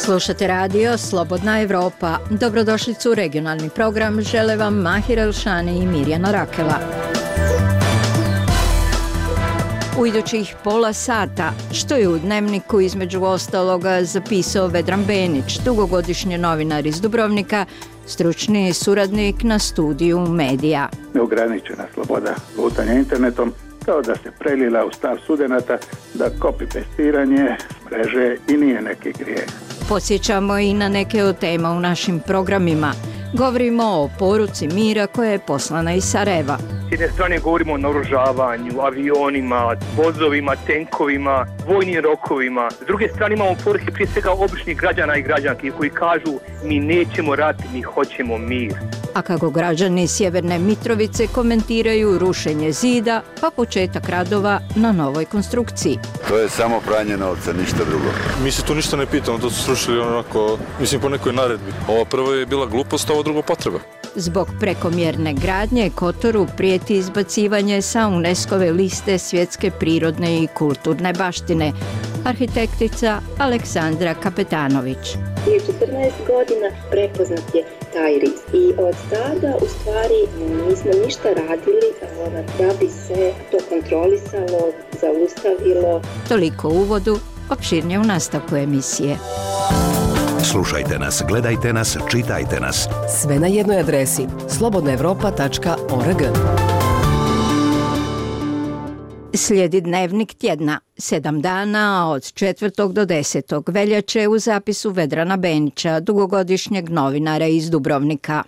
Slušate radio Slobodna Evropa. Dobrodošlicu u regionalni program žele vam Mahir Elšani i Mirjana Rakela. U idućih pola sata, što je u Dnevniku između ostaloga zapisao Vedran Benić, dugogodišnji novinar iz Dubrovnika, stručni suradnik na studiju medija. Neograničena sloboda lutanja internetom kao da se prelila u stav studenata da copy-pastiranje s mreže i nije neki grijeh. Podsjećamo i na neke od tema u našim programima. Govorimo o poruci mira koja je poslana iz Sarajeva. S jedne strane govorimo o naoružavanju, avionima, vozovima, tenkovima, vojnim rokovima. S druge strane imamo poruke prije svega običnih građana i građanki koji kažu mi nećemo rat, mi hoćemo mir. A kako građani Sjeverne Mitrovice komentiraju rušenje zida pa početak radova na novoj konstrukciji. To je samo pranje novca, ništa drugo. Mi se tu ništa ne pitamo, to su srušili onako, po nekoj naredbi. Ovo prvo je bila glupost, ovo drugo potreba. Zbog prekomjerne gradnje Kotoru prijeti izbacivanje sa UNESCO-ve liste svjetske prirodne i kulturne baštine. Arhitektica Aleksandra Kapetanović. Prije 14 godina prepoznat je taj rizik i od tada u stvari nismo ništa radili da bi se to kontrolisalo, zaustavilo. Toliko u uvodu, opširnije u nastavku emisije. Slušajte nas, gledajte nas, čitajte nas. Sve na jednoj adresi slobodnaevropa.org. Slijedi Dnevnik tjedna, 7 dana od 4. do 10. veljače u zapisu Vedrana Benića, dugogodišnjeg novinara iz Dubrovnika.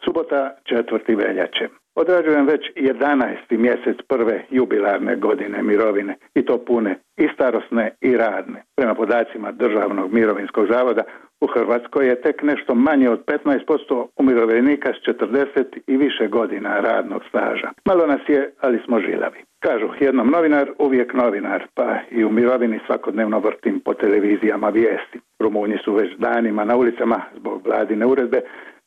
Subota 4. veljače. Odrađujem već 11. mjesec prve jubilarne godine mirovine i to pune i starosne i radne. Prema podacima Državnog mirovinskog zavoda u Hrvatskoj je tek nešto manje od 15% umirovljenika s 40 i više godina radnog staža. Malo nas je, ali smo žilavi. Kažu, jednom novinar, uvijek novinar, pa i u mirovini svakodnevno vrtim po televizijama vijesti. Rumunji su već danima na ulicama zbog vladine uredbe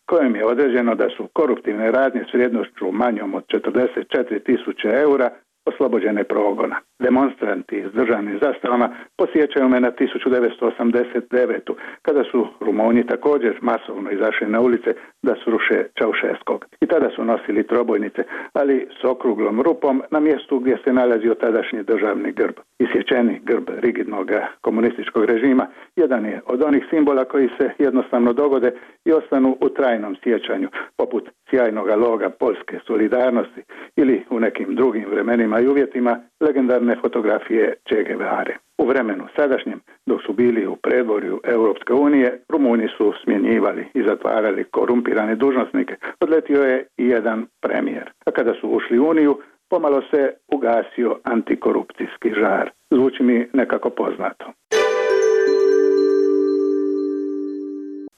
kojim je određeno da su koruptivne radnje s vrijednošću manjom od 44.000 eura oslobođene progona. Demonstranti s državnim zastavama posjećaju me na 1989. kada su Rumunji također masovno izašli na ulice da sruše Čaušeskog. I tada su nosili trobojnice, ali s okruglom rupom na mjestu gdje se nalazio tadašnji državni grb. Isječeni grb rigidnog komunističkog režima jedan je od onih simbola koji se jednostavno dogode i ostanu u trajnom sjećanju, poput sjajnog loga Poljske solidarnosti ili u nekim drugim vremenima i uvjetima legendarne fotografije Che Guevare. U vremenu sadašnjem, dok su bili u predvorju Europske unije, Rumunji su smjenjivali i zatvarali korumpirane dužnosnike. Odletio je i jedan premijer. A kada su ušli u Uniju, pomalo se ugasio antikorupcijski žar. Zvuči mi nekako poznato.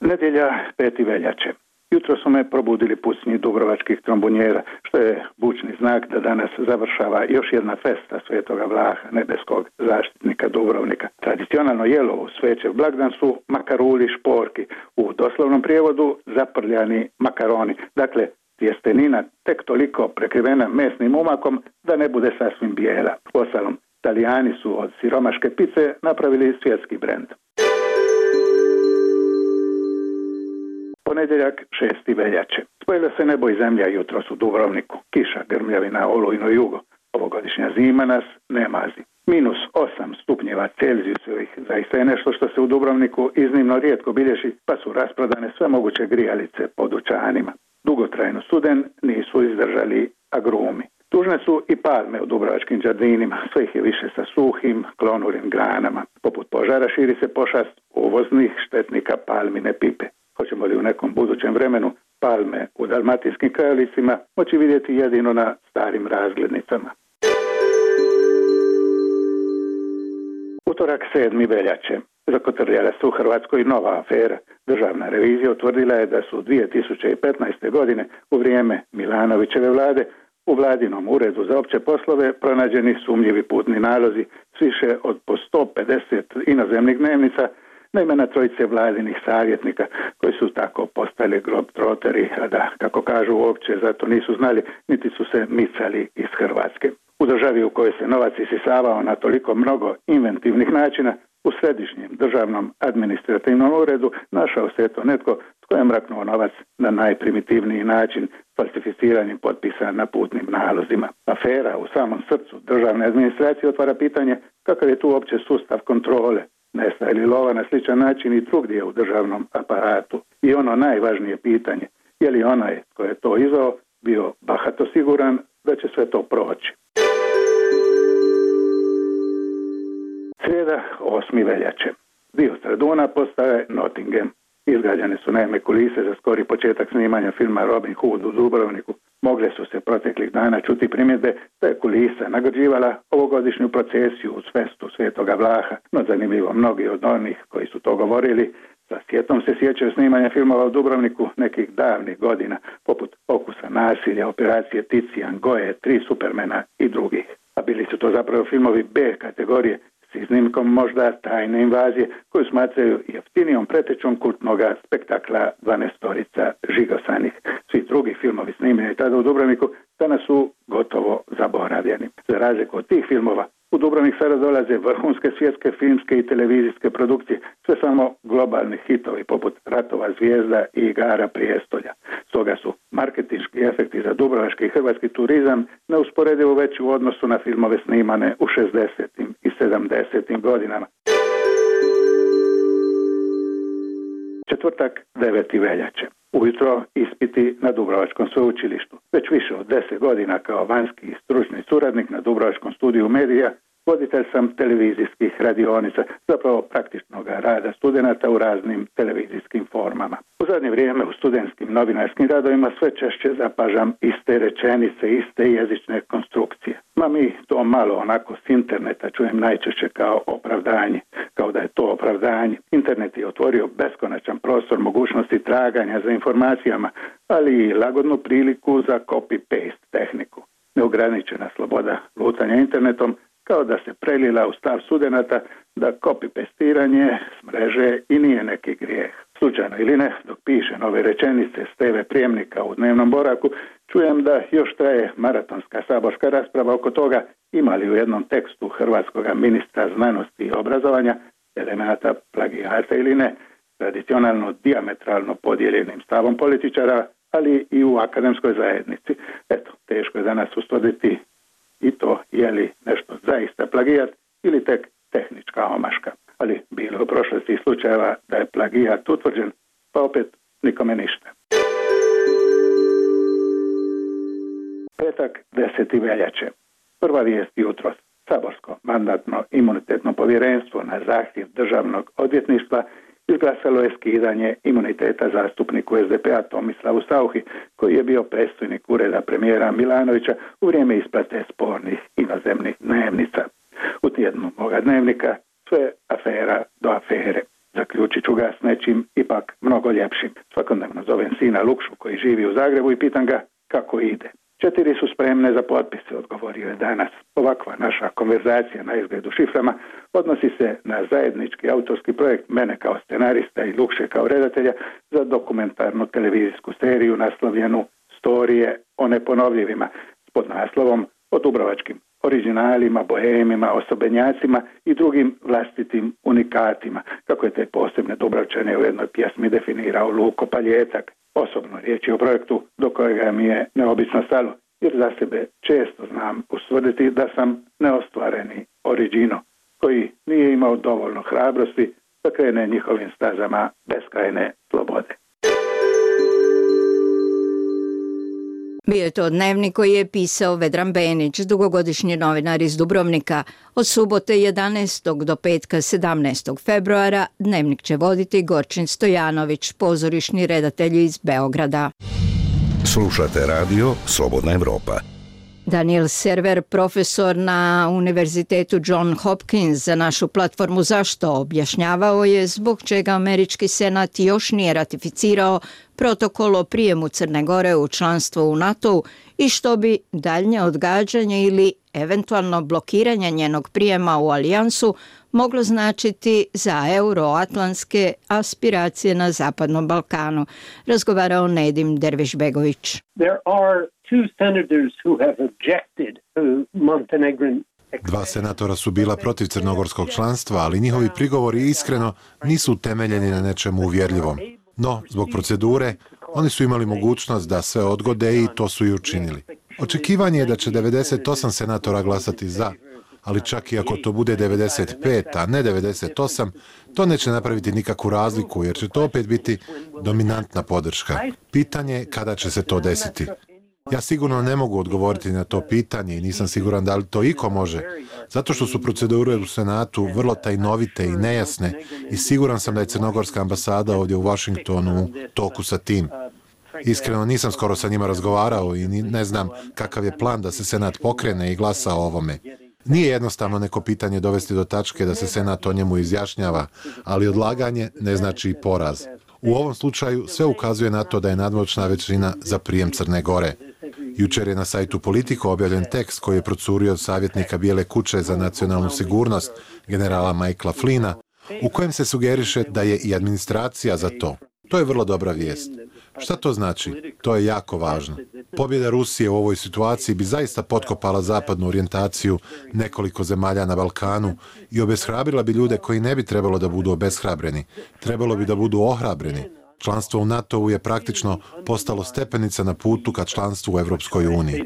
Nedjelja 5. veljače. Jutro su me probudili pucnji dubrovačkih trombonjera, što je bučni znak da danas završava još jedna festa Svetoga Vlaha, nebeskog zaštitnika Dubrovnika. Tradicionalno jelo u Svećev blagdan su makaruli šporki, u doslovnom prijevodu zaprljani makaroni. Dakle, tjestenina tek toliko prekrivena mesnim umakom da ne bude sasvim bijela. Uostalom, Talijani su od siromaške pice napravili svjetski brend. Ponedjeljak 6. veljače. Spojila se nebo i zemlja jutros u Dubrovniku. Kiša, grmljavina, olujno jugo. Ovogodišnja zima nas ne mazi. -8 stupnjeva Celzijusovih zaista je nešto što se u Dubrovniku iznimno rijetko bilježi, pa su rasprodane sve moguće grijalice po dućanima. Dugotrajno studen nisu izdržali agrumi. Tužne su i palme u dubrovačkim džardinima, sve ih je više sa suhim, klonulim granama. Poput požara širi se pošast uvoznih štetnika palmine pipe. Hoćemo li u nekom budućem vremenu palme u dalmatinskim krajolicima moći vidjeti jedino na starim razglednicama? Utorak 7. veljače. Zakotrljala se u Hrvatskoj nova afera. Državna revizija utvrdila je da su 2015. godine u vrijeme Milanovićeve vlade u vladinom uredu za opće poslove pronađeni sumnjivi putni nalozi s više od po 150 inozemnih dnevnica na imena trojice vladinih savjetnika koji su tako postali globtroteri, a da, kako kažu, uopće zato nisu znali niti su se micali iz Hrvatske. U državi u kojoj se novac isisavao na toliko mnogo inventivnih načina, u središnjem državnom administrativnom uredu našao se to netko tko je mraknuo novac na najprimitivniji način, falsificiranjem potpisa na putnim nalozima. Afera u samom srcu državne administracije otvara pitanje kakav je tu uopće sustav kontrole. Nestaje li lova na sličan način i drugdje u državnom aparatu? I ono najvažnije pitanje, je li onaj tko je to izveo bio bahato siguran da će sve to proći? Srijeda, 8. veljače. Dio Straduna postaje Nottingham. Izgrađene su naime kulise za skori početak snimanja filma Robin Hood u Dubrovniku. Mogle su se proteklih dana čuti primjedbe da je kulisa nagrađivala ovogodišnju procesiju uz festu Svetoga Vlaha, no zanimljivo mnogi od onih koji su to govorili sa sjetom se sjećaju snimanja filmova u Dubrovniku nekih davnih godina, poput Okusa nasilja, Operacije Ticijan, Goje, Tri Supermena i drugih. A bili su to zapravo filmovi B kategorije, s iznimkom možda Tajne invazije, koju smatraju jeftinijom pretečom kultnoga spektakla 12-torica žigosanih. Svi drugi filmovi snimljeni tada u Dubrovniku danas su gotovo zaboravljeni. Za razliku od tih filmova, u Dubrovnik sada dolaze vrhunske svjetske filmske i televizijske produkcije, sve samo globalni hitovi poput Ratova zvijezda i Igara prijestolja. Stoga su marketinški efekti za dubrovački i hrvatski turizam neusporedivo veći u odnosu na filmove snimane u 60. i 70. godinama. Četvrtak, 9. veljače. Ujutro ispiti na Dubrovačkom sveučilištu. Već više od 10 godina kao vanjski i stručni suradnik na Dubrovačkom studiju medija, voditelj sam televizijskih radionica, zapravo praktičnog rada studenata u raznim televizijskim formama. U zadnje vrijeme u studentskim novinarskim radovima sve češće zapažam iste rečenice, iste jezične konstrukcije. Ma mi to malo onako s interneta čujem najčešće kao opravdanje, kao da je to opravdanje. Internet je otvorio beskonačan prostor mogućnosti traganja za informacijama, ali i lagodnu priliku za copy-paste tehniku. Neograničena sloboda lutanja internetom kao da se prelila u stav studenata da copy-pastiranje s mreže i nije neki grijeh. Slučajno ili ne, dok piše nove rečenice s TV prijemnika u dnevnom boravku, čujem da još traje maratonska saborska rasprava oko toga ima li u jednom tekstu hrvatskog ministra znanosti i obrazovanja elemenata plagijata ili ne, tradicionalno dijametralno podijeljenim stavom političara, ali i u akademskoj zajednici. Eto, teško je danas ustvrditi i to je li nešto zaista plagijat ili tek tehnička omaška. Ali bilo u prošlosti slučajeva da je plagijat utvrđen, pa opet nikome ništa. Petak, 10. veljače. Prva vijest jutros. Saborsko mandatno-imunitetno povjerenstvo na zahtjev državnog odvjetništva izglasalo je skidanje imuniteta zastupniku SDP-a Tomislavu Sauchi, koji je bio predstojnik ureda premijera Milanovića u vrijeme isplate spornih inozemnih dnevnica. U tjednu moga dnevnika sve afera do afere. Zaključit ću ga s nečim ipak mnogo ljepšim. Svakodnevno zovem sina Lukšu koji živi u Zagrebu i pitam ga kako ide. 4 su spremne za potpise, odgovorio je danas. Ovakva naša konverzacija na izgledu šiframa odnosi se na zajednički autorski projekt mene kao scenarista i Lukše kao redatelja za dokumentarnu televizijsku seriju naslovljenu Storije o neponovljivima s podnaslovom o dubrovačkim originalima, bohemima, osobenjacima i drugim vlastitim unikatima, kako je te posebne Dubrovčane u jednoj pjesmi definirao Luko Paljetak. Osobno riječ je o projektu do kojega mi je neobično stalo, jer za sebe često znam ustvrditi da sam neostvareni original, koji nije imao dovoljno hrabrosti da krene njihovim stazama beskrajne slobode. Bio je to dnevnik koji je pisao Vedran Benić, dugogodišnji novinar iz Dubrovnika. Od subote 11. do petka 17. februara dnevnik će voditi Gorčin Stojanović, pozorišni redatelj iz Beograda. Slušate radio Slobodna Evropa. Daniel Server, profesor na Univerzitetu John Hopkins za našu platformu Zašto, objašnjavao je zbog čega američki senat još nije ratificirao protokol o prijemu Crne Gore u članstvo u NATO-u i što bi daljnje odgađanje ili eventualno blokiranje njenog prijema u alijansu moglo značiti za euroatlantske aspiracije na Zapadnom Balkanu, razgovarao Nedim Dervišbegović. There are two senators who have objected to Montenegrin. Dva senatora su bila protiv crnogorskog članstva, ali njihovi prigovori iskreno nisu utemeljeni na nečemu uvjerljivom. No, zbog procedure, oni su imali mogućnost da sve odgode i to su i učinili. Očekivanje je da će 98 senatora glasati za, ali čak i ako to bude 95, a ne 98, to neće napraviti nikakvu razliku, jer će to opet biti dominantna podrška. Pitanje je kada će se to desiti. Ja sigurno ne mogu odgovoriti na to pitanje i nisam siguran da li to iko može, zato što su procedure u Senatu vrlo tajnovite i nejasne i siguran sam da je crnogorska ambasada ovdje u Washingtonu u toku sa tim. Iskreno nisam skoro sa njima razgovarao i ne znam kakav je plan da se Senat pokrene i glasa o ovome. Nije jednostavno neko pitanje dovesti do tačke da se Senat o njemu izjašnjava, ali odlaganje ne znači i poraz. U ovom slučaju sve ukazuje na to da je nadmoćna većina za prijem Crne Gore. Jučer je na sajtu Politico objavljen tekst koji je procurio od savjetnika Bijele kuće za nacionalnu sigurnost, generala Michaela Flynna, u kojem se sugeriše da je i administracija za to. To je vrlo dobra vijest. Šta to znači? To je jako važno. Pobjeda Rusije u ovoj situaciji bi zaista potkopala zapadnu orijentaciju nekoliko zemalja na Balkanu i obeshrabrila bi ljude koji ne bi trebalo da budu obeshrabreni. Trebalo bi da budu ohrabreni. Članstvo u NATO-u je praktično postalo stepenica na putu ka članstvu u Evropskoj uniji.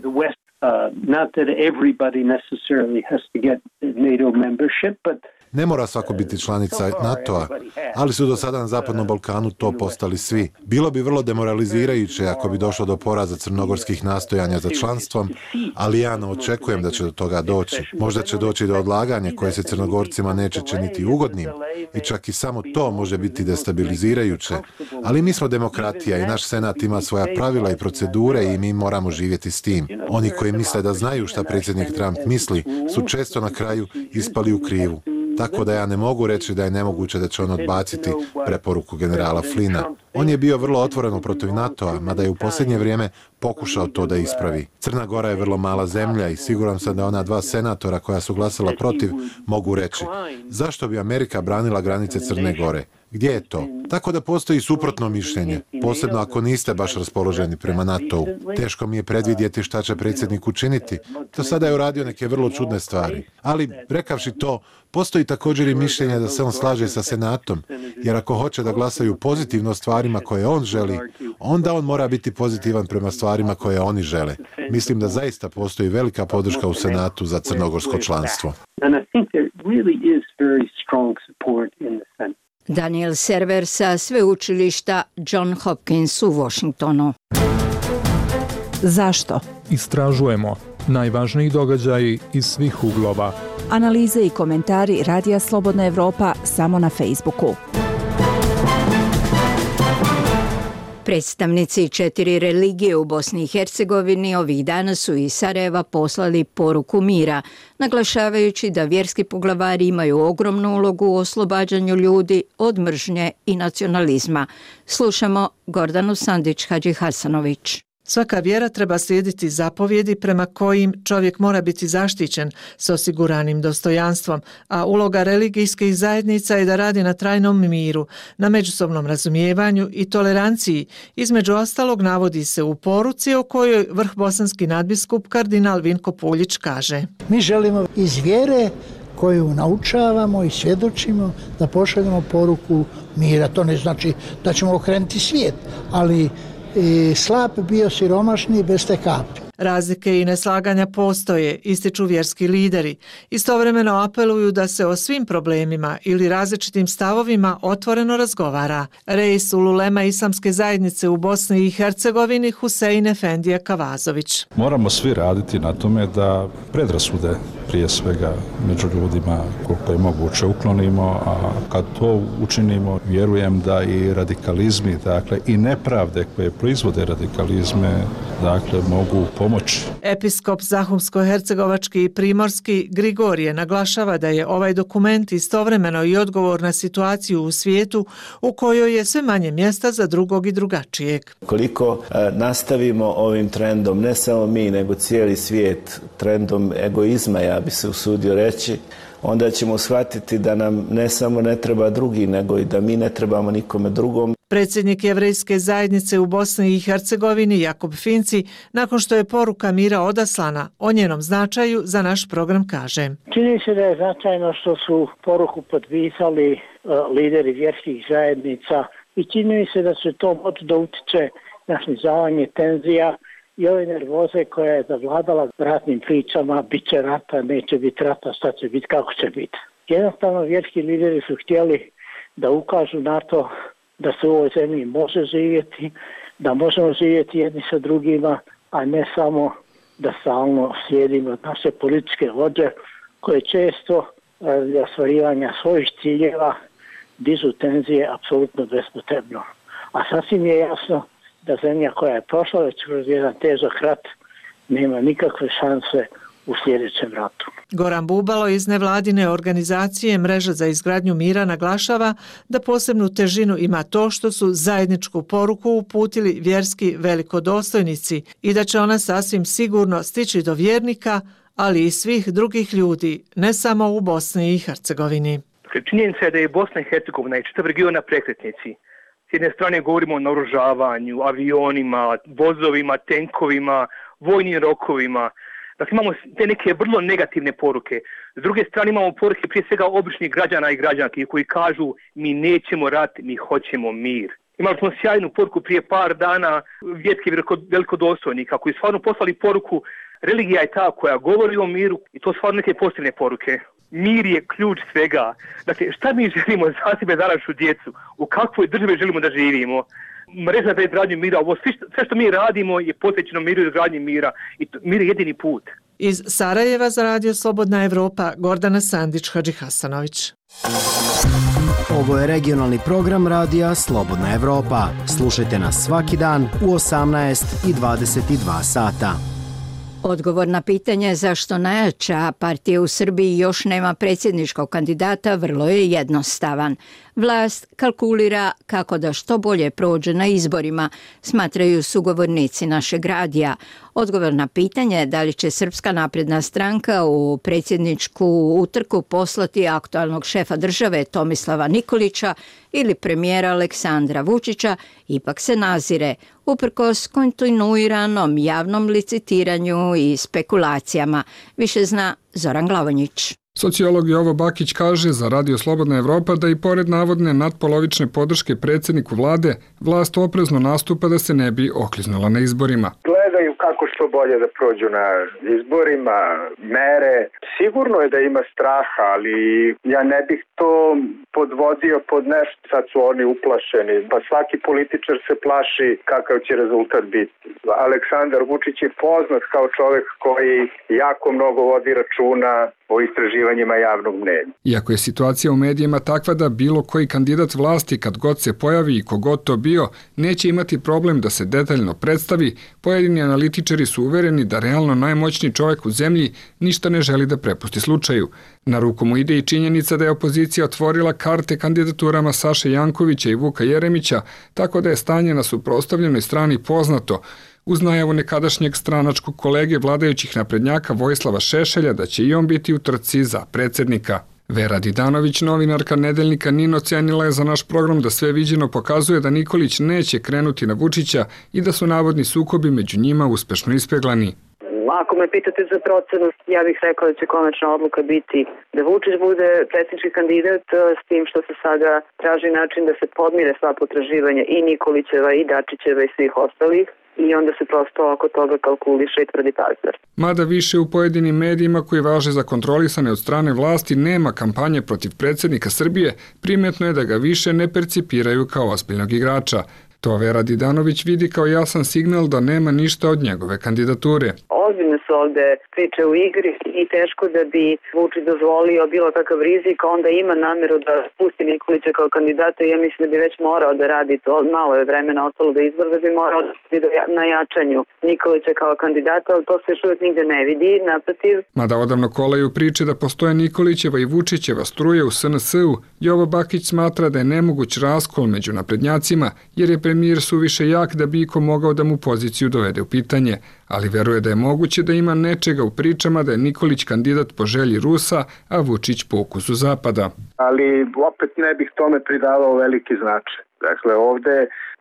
Ne mora svako biti članica NATO-a, ali su do sada na Zapadnom Balkanu to postali svi. Bilo bi vrlo demoralizirajuće ako bi došlo do poraza crnogorskih nastojanja za članstvom, ali ja ne očekujem da će do toga doći. Možda će doći do odlaganja koje se Crnogorcima neće činiti ugodnim i čak i samo to može biti destabilizirajuće, ali mi smo demokratija i naš Senat ima svoja pravila i procedure i mi moramo živjeti s tim. Oni koji misle da znaju šta predsjednik Trump misli su često na kraju ispali u krivu. Tako da ja ne mogu reći da je nemoguće da će on odbaciti preporuku generala Flynna. On je bio vrlo otvoreno protiv NATO-a, mada je u posljednje vrijeme pokušao to da ispravi. Crna Gora je vrlo mala zemlja i siguran sam da ona dva senatora koja su glasala protiv mogu reći zašto bi Amerika branila granice Crne Gore? Gdje je to? Tako da postoji suprotno mišljenje, posebno ako niste baš raspoloženi prema NATO-u. Teško mi je predvidjeti šta će predsjednik učiniti. Do sada je uradio neke vrlo čudne stvari. Ali, rekavši to, postoji također i mišljenje da se on slaže sa Senatom, jer ako hoće da glasaju pozitivno stvarima koje on želi, onda on mora biti pozitivan prema stvarima koje oni žele. Mislim da zaista postoji velika podrška u Senatu za crnogorsko članstvo. Daniel Server sa sveučilišta John Hopkins u Washingtonu. Zašto? Istražujemo najvažniji događaji iz svih uglova. Analize i komentari Radija Slobodna Evropa samo na Facebooku. Predstavnici 4 religije u Bosni i Hercegovini ovih dana su iz Sarajeva poslali poruku mira, naglašavajući da vjerski poglavari imaju ogromnu ulogu u oslobađanju ljudi od mržnje i nacionalizma. Slušamo Gordanu Sandić-Hadži-Hasanović. Svaka vjera treba slijediti zapovjedi prema kojim čovjek mora biti zaštićen s osiguranim dostojanstvom, a uloga religijskih zajednica je da radi na trajnom miru, na međusobnom razumijevanju i toleranciji. Između ostalog navodi se u poruci o kojoj vrhbosanski nadbiskup kardinal Vinko Puljić kaže: Mi želimo iz vjere koju naučavamo i svjedočimo da pošaljemo poruku mira. To ne znači da ćemo okrenuti svijet, ali slab bio siromašni bez te kapi. Razlike i neslaganja postoje, ističu vjerski lideri. Istovremeno apeluju da se o svim problemima ili različitim stavovima otvoreno razgovara. Reis ululema islamske zajednice u Bosni i Hercegovini Husein Efendija Kavazović. Moramo svi raditi na tome da predrasude prije svega među ljudima koliko je moguće uklonimo, a kad to učinimo vjerujem da i radikalizmi, dakle i nepravde koje proizvode radikalizme, dakle mogu pomoći. Episkop Zahumsko-hercegovački i primorski Grigorije naglašava da je ovaj dokument istovremeno i odgovor na situaciju u svijetu u kojoj je sve manje mjesta za drugog i drugačijeg. Koliko nastavimo ovim trendom, ne samo mi, nego cijeli svijet, trendom egoizma, ja bi se usudio reći, onda ćemo shvatiti da nam ne samo ne treba drugi, nego i da mi ne trebamo nikome drugom. Predsjednik Jevrejske zajednice u Bosni i Hercegovini Jakub Finci, nakon što je poruka mira odaslana, o njenom značaju za naš program kaže: Čini se da je značajno što su poruku potpisali lideri vjerskih zajednica i čini mi se da se to moći da utiče na snizavanje tenzija i ove nervoze koja je zavladala ratnim pričama, bit će rata, neće biti rata, šta će biti, kako će biti. Jednostavno vjerski lideri su htjeli da ukažu na to da se u ovoj zemlji može živjeti, da možemo živjeti jedni sa drugima, a ne samo da stalno slijedimo naše političke vođe koje često radi ostvarivanja svojih ciljeva dižu tenzije apsolutno bespotrebno. A sasvim je jasno da zemlja koja je prošla već kroz jedan težak rat nema nikakve šanse u sljedećem ratu. Goran Bubalo iz nevladine organizacije Mreža za izgradnju mira naglašava da posebnu težinu ima to što su zajedničku poruku uputili vjerski velikodostojnici i da će ona sasvim sigurno stići do vjernika, ali i svih drugih ljudi, ne samo u Bosni i Hercegovini. Činjenica je da je Bosna i Hercegovina i čitav region na prekretnici. S jedne strane govorimo o naoružavanju, avionima, vozovima, tenkovima, vojnim rokovima. Dakle, imamo te neke vrlo negativne poruke. S druge strane imamo poruke prije svega običnih građana i građanki koji kažu mi nećemo rat, mi hoćemo mir. Imali smo sjajnu poruku prije par dana vjerskih velikodostojnika koji stvarno poslali poruku religija je ta koja govori o miru i to stvarno neke pozitivne poruke. Mir je ključ svega. Dakle, šta mi želimo za sebe, za našu djecu? U kakvoj državi želimo da živimo? Mreža za izgradnju mira, ovo sve što mi radimo je posvećeno miru i izgradnji mira i mir je jedini put. Iz Sarajeva za Radio Slobodna Evropa, Gordana Sandić, Hadži Hasanović. Ovo je regionalni program Radija Slobodna Evropa. Slušajte nas svaki dan u 18 i 22 sata. Odgovor na pitanje zašto najjača partija u Srbiji još nema predsjedničkog kandidata vrlo je jednostavan. Vlast kalkulira kako da što bolje prođe na izborima, smatraju sugovornici našeg radija. Odgovor na pitanje da li će Srpska napredna stranka u predsjedničku utrku poslati aktualnog šefa države Tomislava Nikolića ili premijera Aleksandra Vučića ipak se nazire, uprkos kontinuiranom javnom licitiranju i spekulacijama. Više zna Zoran Glavonjić. Sociolog Jovo Bakić kaže za Radio Slobodna Evropa da i pored navodne nadpolovične podrške predsjedniku vlade, vlast oprezno nastupa da se ne bi okliznula na izborima. Gledaju kako što bolje da prođu na izborima, mere. Sigurno je da ima straha, ali ja ne bih to podvodio pod nešto. Sad su oni uplašeni, pa svaki političar se plaši kakav će rezultat biti. Aleksandar Vučić je poznat kao čovjek koji jako mnogo vodi računa o istraživanjima javnog mnjenja. Iako je situacija u medijima takva da bilo koji kandidat vlasti kad god se pojavi i kogod to bio, neće imati problem da se detaljno predstavi, pojedini analitičari su uvereni da realno najmoćniji čovjek u zemlji ništa ne želi da prepusti slučaju. Na ruku mu ide i činjenica da je opozicija otvorila karte kandidaturama Saše Jankovića i Vuka Jeremića, tako da je stanje na suprotstavljenoj strani poznato, uz najavu nekadašnjeg stranačkog kolege vladajućih naprednjaka Vojislava Šešelja da će i on biti u trci za predsjednika. Vera Didanović, novinarka nedeljnika NIN, ocenila je za naš program da sve viđeno pokazuje da Nikolić neće krenuti na Vučića i da su navodni sukobi među njima uspešno ispeglani. Ako me pitate za procenu, ja bih rekla da će konačna odluka biti da Vučić bude predsjednički kandidat, s tim što se sada traži način da se podmire sva potraživanja i Nikolićeva i Dačićeva i svih ostalih. I onda se prosto oko toga kalkuliše i tvrdi partner. Mada više u pojedinim medijima koji važe za kontrolisane od strane vlasti nema kampanje protiv predsjednika Srbije, primjetno je da ga više ne percipiraju kao ozbiljnog igrača. To Vera Didanović vidi kao jasan signal da nema ništa od njegove kandidature. Ozbiljne su ovde priče u igri i teško da bi Vučić dozvolio bilo kakav rizik, onda ima nameru da pusti Nikolića kao kandidata i ja mislim da bi već morao da radi to, malo je vremena ostalo da izbor, da bi morao na jačanju Nikolića kao kandidata, ali to se još uvijek nigde ne vidi, naprotiv. Mada odavno kolaju priče da postoje Nikolićeva i Vučićeva struje u SNS-u, Jovo Bakić smatra da je nemoguć raskol među naprednjacima, jer je premijer suviše jak da bi iko mogao da mu poziciju dovede u pitanje, ali veruje da je moguće da ima nečega u pričama da je Nikolić kandidat po želji Rusa, a Vučić po ukusu Zapada. Ali opet ne bih tome pridavao veliki značaj. Dakle, ovde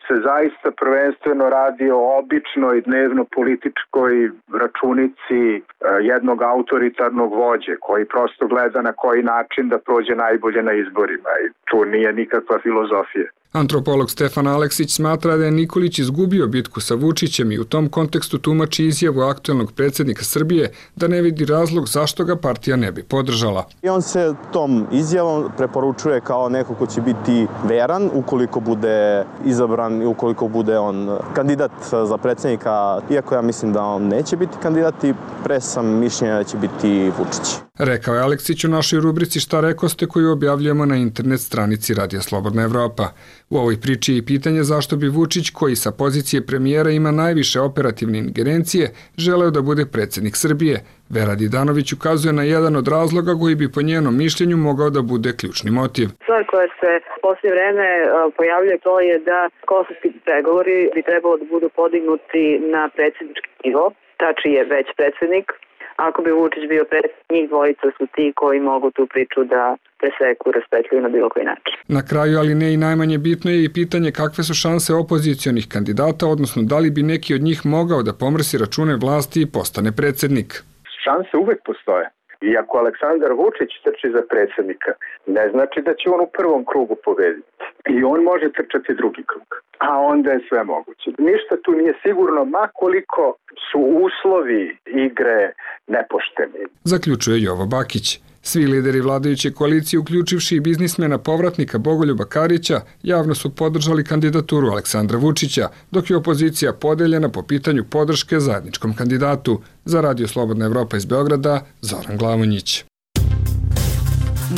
se zaista prvenstveno radi o običnoj dnevno političkoj računici jednog autoritarnog vođe koji prosto gleda na koji način da prođe najbolje na izborima i tu nije nikakva filozofija. Antropolog Stefan Aleksić smatra da je Nikolić izgubio bitku sa Vučićem i u tom kontekstu tumači izjavu aktuelnog predsjednika Srbije da ne vidi razlog zašto ga partija ne bi podržala. I on se tom izjavom preporučuje kao neko ko će biti veran ukoliko bude izabran i ukoliko bude on kandidat za predsjednika, iako ja mislim da on neće biti kandidat i pre sam mišljenja da će biti Vučić. Rekao je Aleksić u našoj rubrici Šta rekoste koju objavljujemo na internet stranici Radija Slobodna Evropa. U ovoj priči je i pitanje zašto bi Vučić, koji sa pozicije premijera ima najviše operativne ingerencije, želeo da bude predsjednik Srbije. Vera Didanović ukazuje na jedan od razloga koji bi po njenom mišljenju mogao da bude ključni motiv. Stvar koja se poslije vreme pojavljuje to je da kosovski pregovori bi trebalo da budu podignuti na predsjednički nivo. Tači je već predsjednik. Ako bi Vučić bio predsjednik, njih dvojica su ti koji mogu tu priču da preseku, raspetljuju na bilo koji način. Na kraju, ali ne i najmanje bitno je i pitanje kakve su šanse opozicionih kandidata, odnosno da li bi neki od njih mogao da pomrsi račune vlasti i postane predsjednik. Šanse uvek postoje. I ako Aleksandar Vučić trči za predsjednika, ne znači da će on u prvom krugu pobediti. I on može trčati drugi krug. A onda je sve moguće. Ništa tu nije sigurno, ma koliko su uslovi igre nepošteni. Zaključuje Jovo Bakić. Svi lideri vladajuće koalicije, uključivši i biznismena povratnika Bogoljuba Karića, javno su podržali kandidaturu Aleksandra Vučića, dok je opozicija podeljena po pitanju podrške zajedničkom kandidatu. Za Radio Slobodna Evropa iz Beograda, Zoran Glavonjić.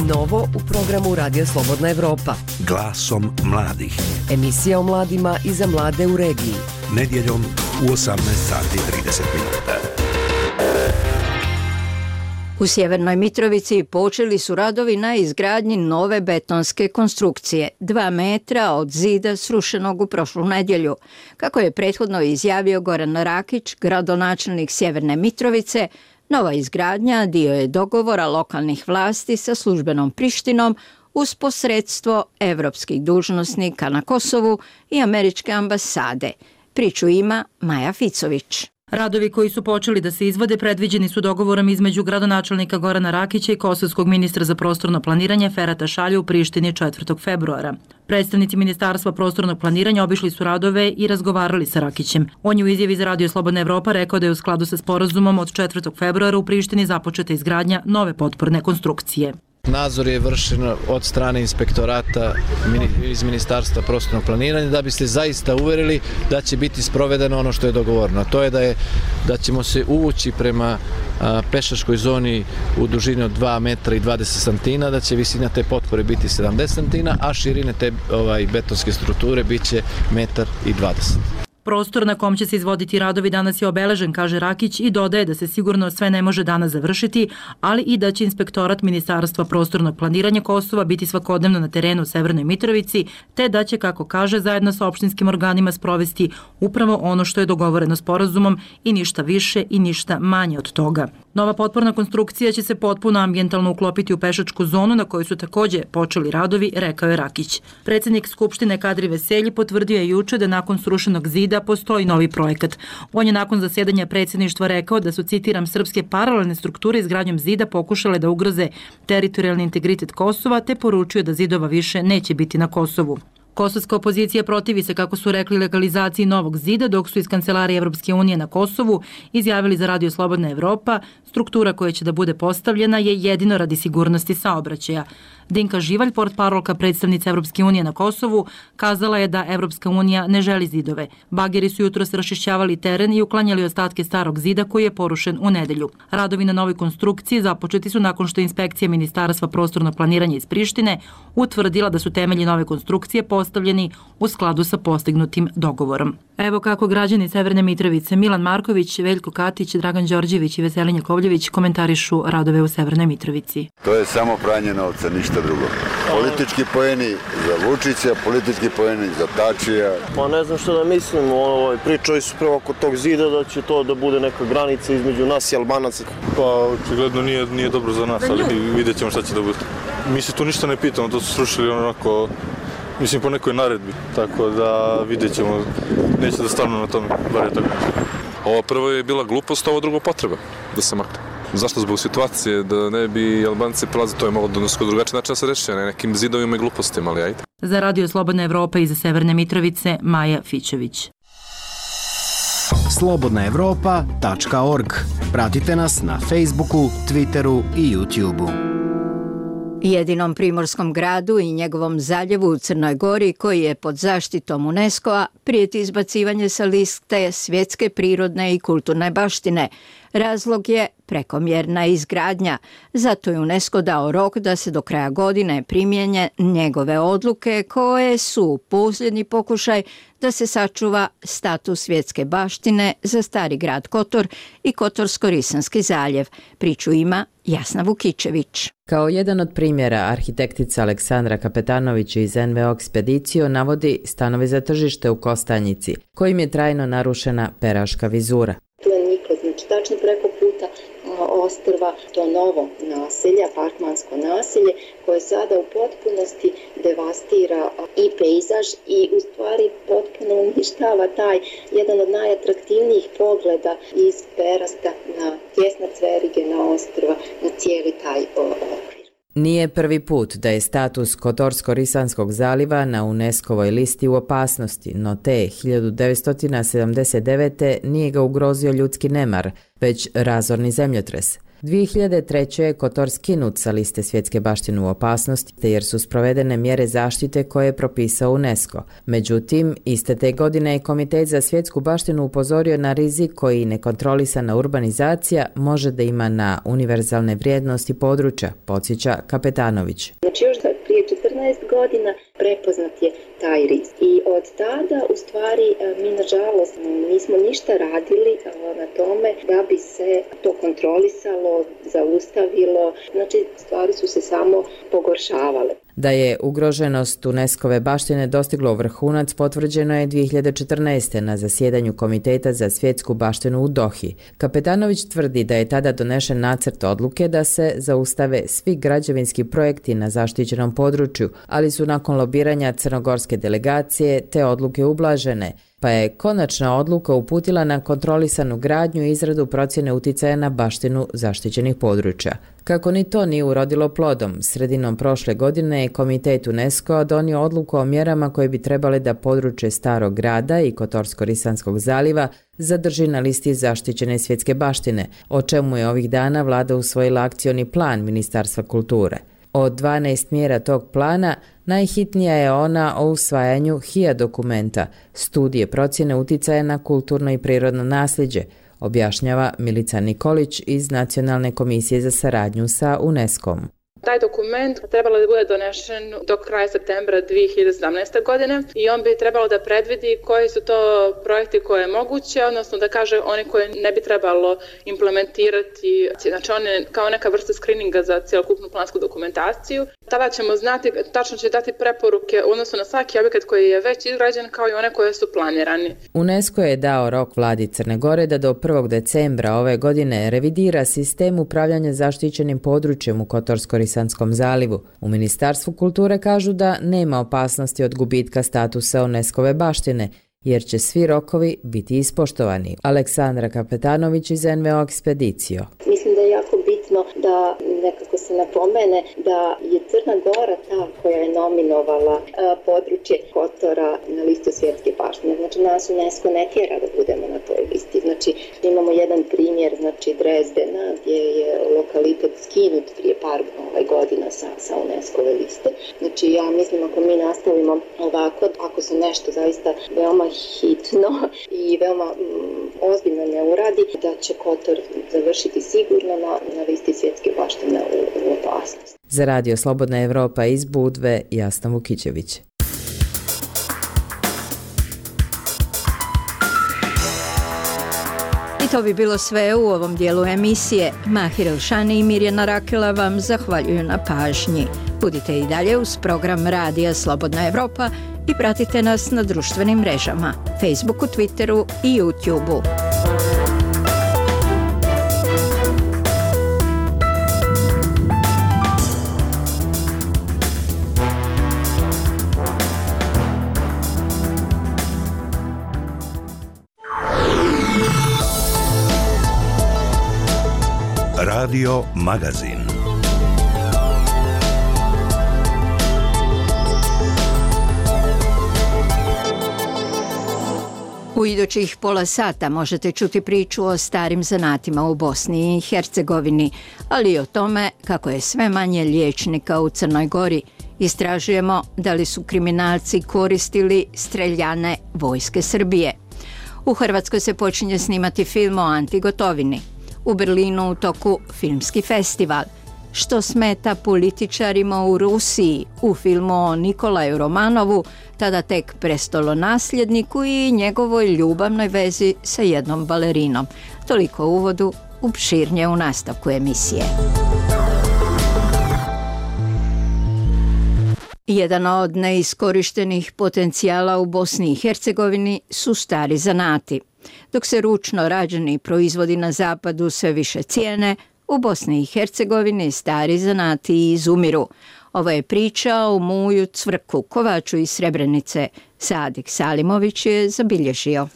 Novo u programu Radija Slobodna Evropa. Glasom mladih. Emisija o mladima i za mlade u regiji. Nedjeljom u 18:30 minuta. U Sjevernoj Mitrovici počeli su radovi na izgradnji nove betonske konstrukcije, 2 metra od zida srušenog u prošlu nedjelju. Kako je prethodno izjavio Goran Rakić, gradonačelnik Sjeverne Mitrovice, nova izgradnja dio je dogovora lokalnih vlasti sa službenom Prištinom uz posredstvo evropskih dužnosnika na Kosovu i američke ambasade. Priču ima Maja Ficović. Radovi koji su počeli da se izvode predviđeni su dogovorom između gradonačelnika Gorana Rakića i kosovskog ministra za prostorno planiranje Ferata Šalja u Prištini 4. februara. Predstavnici Ministarstva prostornog planiranja obišli su radove i razgovarali sa Rakićem. On je u izjavi za Radio Slobodna Evropa rekao da je u skladu sa sporazumom od 4. februara u Prištini započeta izgradnja nove potporne konstrukcije. Nadzor je vršen od strane inspektorata iz Ministarstva prostornog planiranja da bi se zaista uverili da će biti sprovedeno ono što je dogovoreno. To je da ćemo se uvući prema pešačkoj zoni u dužini od 2 metra i 20 santina, da će visina te potpore biti 70 santina, a širine te betonske strukture bit će 1,20 m. Prostor na kom će se izvoditi radovi danas je obeležen, kaže Rakić, i dodaje da se sigurno sve ne može danas završiti, ali i da će inspektorat Ministarstva prostornog planiranja Kosova biti svakodnevno na terenu u Severnoj Mitrovici, te da će, kako kaže, zajedno sa opštinskim organima sprovesti upravo ono što je dogovoreno sporazumom i ništa više i ništa manje od toga. Nova potporna konstrukcija će se potpuno ambijentalno uklopiti u pešačku zonu na kojoj su takođe počeli radovi, rekao je Rakić. Predsjednik Skupštine Kadri Veselji potvrdio je juče da nakon srušenog zida postoji novi projekat. On je nakon zasedanja predsjedništva rekao da su, citiram, srpske paralelne strukture izgradnjom zida pokušale da ugroze teritorijalni integritet Kosova, te poručio da zidova više neće biti na Kosovu. Kosovska opozicija protivi se, kako su rekli, legalizaciji Novog zida, dok su iz Kancelarije Evropske unije na Kosovu izjavili za Radio Slobodna Evropa, struktura koja će da bude postavljena je jedino radi sigurnosti saobraćaja. Dinka Živalj, portparolka predstavnice Evropske unije na Kosovu, kazala je da Evropska unija ne želi zidove. Bageri su jutros raščišćavali teren i uklanjali ostatke starog zida koji je porušen u nedelju. Radovi na novoj konstrukciji započeti su nakon što inspekcija Ministarstva prostornog planiranja iz Prištine utvrdila da su temelji nove konstrukcije postavljeni u skladu sa postignutim dogovorom. Evo kako građani Severne Mitrovice Milan Marković, Veljko Katić, Dragan Đorđević i Veselin Jakovljević komentarišu radove u Severnoj Mitrovici. To je samo pranje novca, ništa drugo. Politički poeni za Vučića, politički poeni za Tačija. Pa ne znam što da mislim, pričali su prvo oko tog zida da će to da bude neka granica između nas i Albanaca. Pa očigledno nije dobro za nas, ali vidjet ćemo šta će da bude. Mi se tu ništa ne pitamo, to su srušili onako, mislim po nekoj naredbi, tako da vidjet ćemo, neće da stanu na tome, bar je tako. Ovo prvo je bila glupost, ovo drugo potreba da se makne. Zašto? Zbog situacije, da ne bi Albanci prelazili, to je malo drugačiji način da se reši, ne nekim zidovima i glupostima, ali ajde. Za Radio Slobodna Evropa iz Severne Mitrovice, Maja Fićević. slobodnaevropa.org. Pratite nas na Facebooku, Twitteru i YouTubeu. Jedinom primorskom gradu i njegovom zaljevu u Crnoj Gori, koji je pod zaštitom UNESCO-a, prijeti izbacivanje sa liste svjetske prirodne i kulturne baštine. Razlog je prekomjerna izgradnja. Zato je UNESCO dao rok da se do kraja godine primjenje njegove odluke koje su posljednji pokušaj da se sačuva status svjetske baštine za stari grad Kotor i Kotorsko-Risanski zaljev. Priču ima Jasna Vukičević. Kao jedan od primjera, arhitektica Aleksandra Kapetanović iz NVO Ekspedicio navodi stanovi za tržište u Kostanjici, kojim je trajno narušena peraška vizura. Tu je niklo, znači tačno preko puta ostrva to novo naselje, apartmansko naselje, koje sada u potpunosti devastira i pejzaž i u stvari potpuno uništava taj jedan od najatraktivnijih pogleda iz Perasta na tjesna Cverige, na ostrva, na cijeli taj okvir. Nije prvi put da je status Kotorsko-Risanskog zaliva na UNESCO-voj listi u opasnosti, no te 1979. nije ga ugrozio ljudski nemar, već razorni zemljotres. 2003. je Kotor skinut sa liste svjetske baštine u opasnosti, jer su sprovedene mjere zaštite koje je propisao UNESCO. Međutim, iste te godine je Komitet za svjetsku baštinu upozorio na rizik koji nekontrolisana urbanizacija može da ima na univerzalne vrijednosti područja, podsjeća Kapetanović. Znači još prije 14 godina prepoznat je taj rizik. I od tada, u stvari, mi nažalost nismo ništa radili na tome da bi se to kontrolisalo, zaustavilo. Znači, stvari su se samo pogoršavale. Da je ugroženost UNESCO-ve baštine dostiglo vrhunac potvrđeno je 2014. na zasjedanju Komiteta za svjetsku baštinu u Dohi. Kapetanović tvrdi da je tada donešen nacrt odluke da se zaustave svi građevinski projekti na zaštićenom području, ali su nakon lobiranja crnogorske delegacije te odluke ublažene, pa je konačna odluka uputila na kontrolisanu gradnju i izradu procjene uticaja na baštinu zaštićenih područja. Kako ni to nije urodilo plodom, sredinom prošle godine je Komitet UNESCO donio odluku o mjerama koje bi trebale da područje Starog grada i Kotorsko-Risanskog zaliva zadrži na listi zaštićene svjetske baštine, o čemu je ovih dana vlada usvojila akcioni plan Ministarstva kulture. Od 12 mjera tog plana, najhitnija je ona o usvajanju HIA dokumenta, studije procjene uticaja na kulturno i prirodno nasljeđe, objašnjava Milica Nikolić iz Nacionalne komisije za saradnju sa UNESCO-om. Taj dokument trebalo da bude donešen do kraja septembra 2017. godine i on bi trebalo da predvidi koji su to projekti koje je moguće, odnosno da kaže oni koje ne bi trebalo implementirati, znači one kao neka vrsta skrininga za cjelokupnu plansku dokumentaciju. Tada ćemo znati, tačno će dati preporuke odnosno na svaki objekat koji je već izgrađen kao i one koje su planirani. UNESCO je dao rok vladi Crne Gore da do 1. decembra ove godine revidira sistem upravljanja zaštićenim područjem u Kotorsko-Risanskom zalivu. U Ministarstvu kulture kažu da nema opasnosti od gubitka statusa UNESCO-ve baštine, jer će svi rokovi biti ispoštovani. Aleksandra Kapetanović iz NVO Ekspedicio. Mislim da je jako bitno bitno da nekako se napomene da je Crna Gora ta koja je nominovala područje Kotora na listu svjetske baštine. Znači nas UNESCO ne tjera da budemo na toj listi. Znači imamo jedan primjer, znači Drezdena gdje je lokalitet skinut prije par godina sa UNESCO-ve liste. Znači ja mislim ako mi nastavimo ovako, ako se nešto zaista veoma hitno i veoma ozbiljno ne uradi, da će Kotor završiti sigurno na listi svjetske baštine u opasnosti. Za Radio Slobodna Evropa iz Budve, Jasna Vukićević. I to bi bilo sve u ovom dijelu emisije. Mahir Elšani i Mirjana Rakela vam zahvaljuju na pažnji. Budite i dalje uz program Radija Slobodna Evropa i pratite nas na društvenim mrežama, Facebooku, Twitteru i YouTubeu. Radio Magazin. U idućih pola sata možete čuti priču o starim zanatima u Bosni i Hercegovini, ali i o tome kako je sve manje liječnika u Crnoj Gori. Istražujemo da li su kriminalci koristili streljane vojske Srbije. U Hrvatskoj se počinje snimati film o Anti Gotovini. U Berlinu u toku filmski festival. Što smeta političarima u Rusiji u filmu o Nikolaju Romanovu, tada tek prestolonasljedniku i njegovoj ljubavnoj vezi sa jednom balerinom. Toliko u uvodu, opširnije u nastavku emisije. Jedan od neiskorištenih potencijala u Bosni i Hercegovini su stari zanati. Dok se ručno rađeni proizvodi na zapadu sve više cijene, u Bosni i Hercegovini stari zanati izumiru. Ovo je priča o Muju Cvrku, kovaču iz Srebrenice. Sadik Salimović je zabilježio.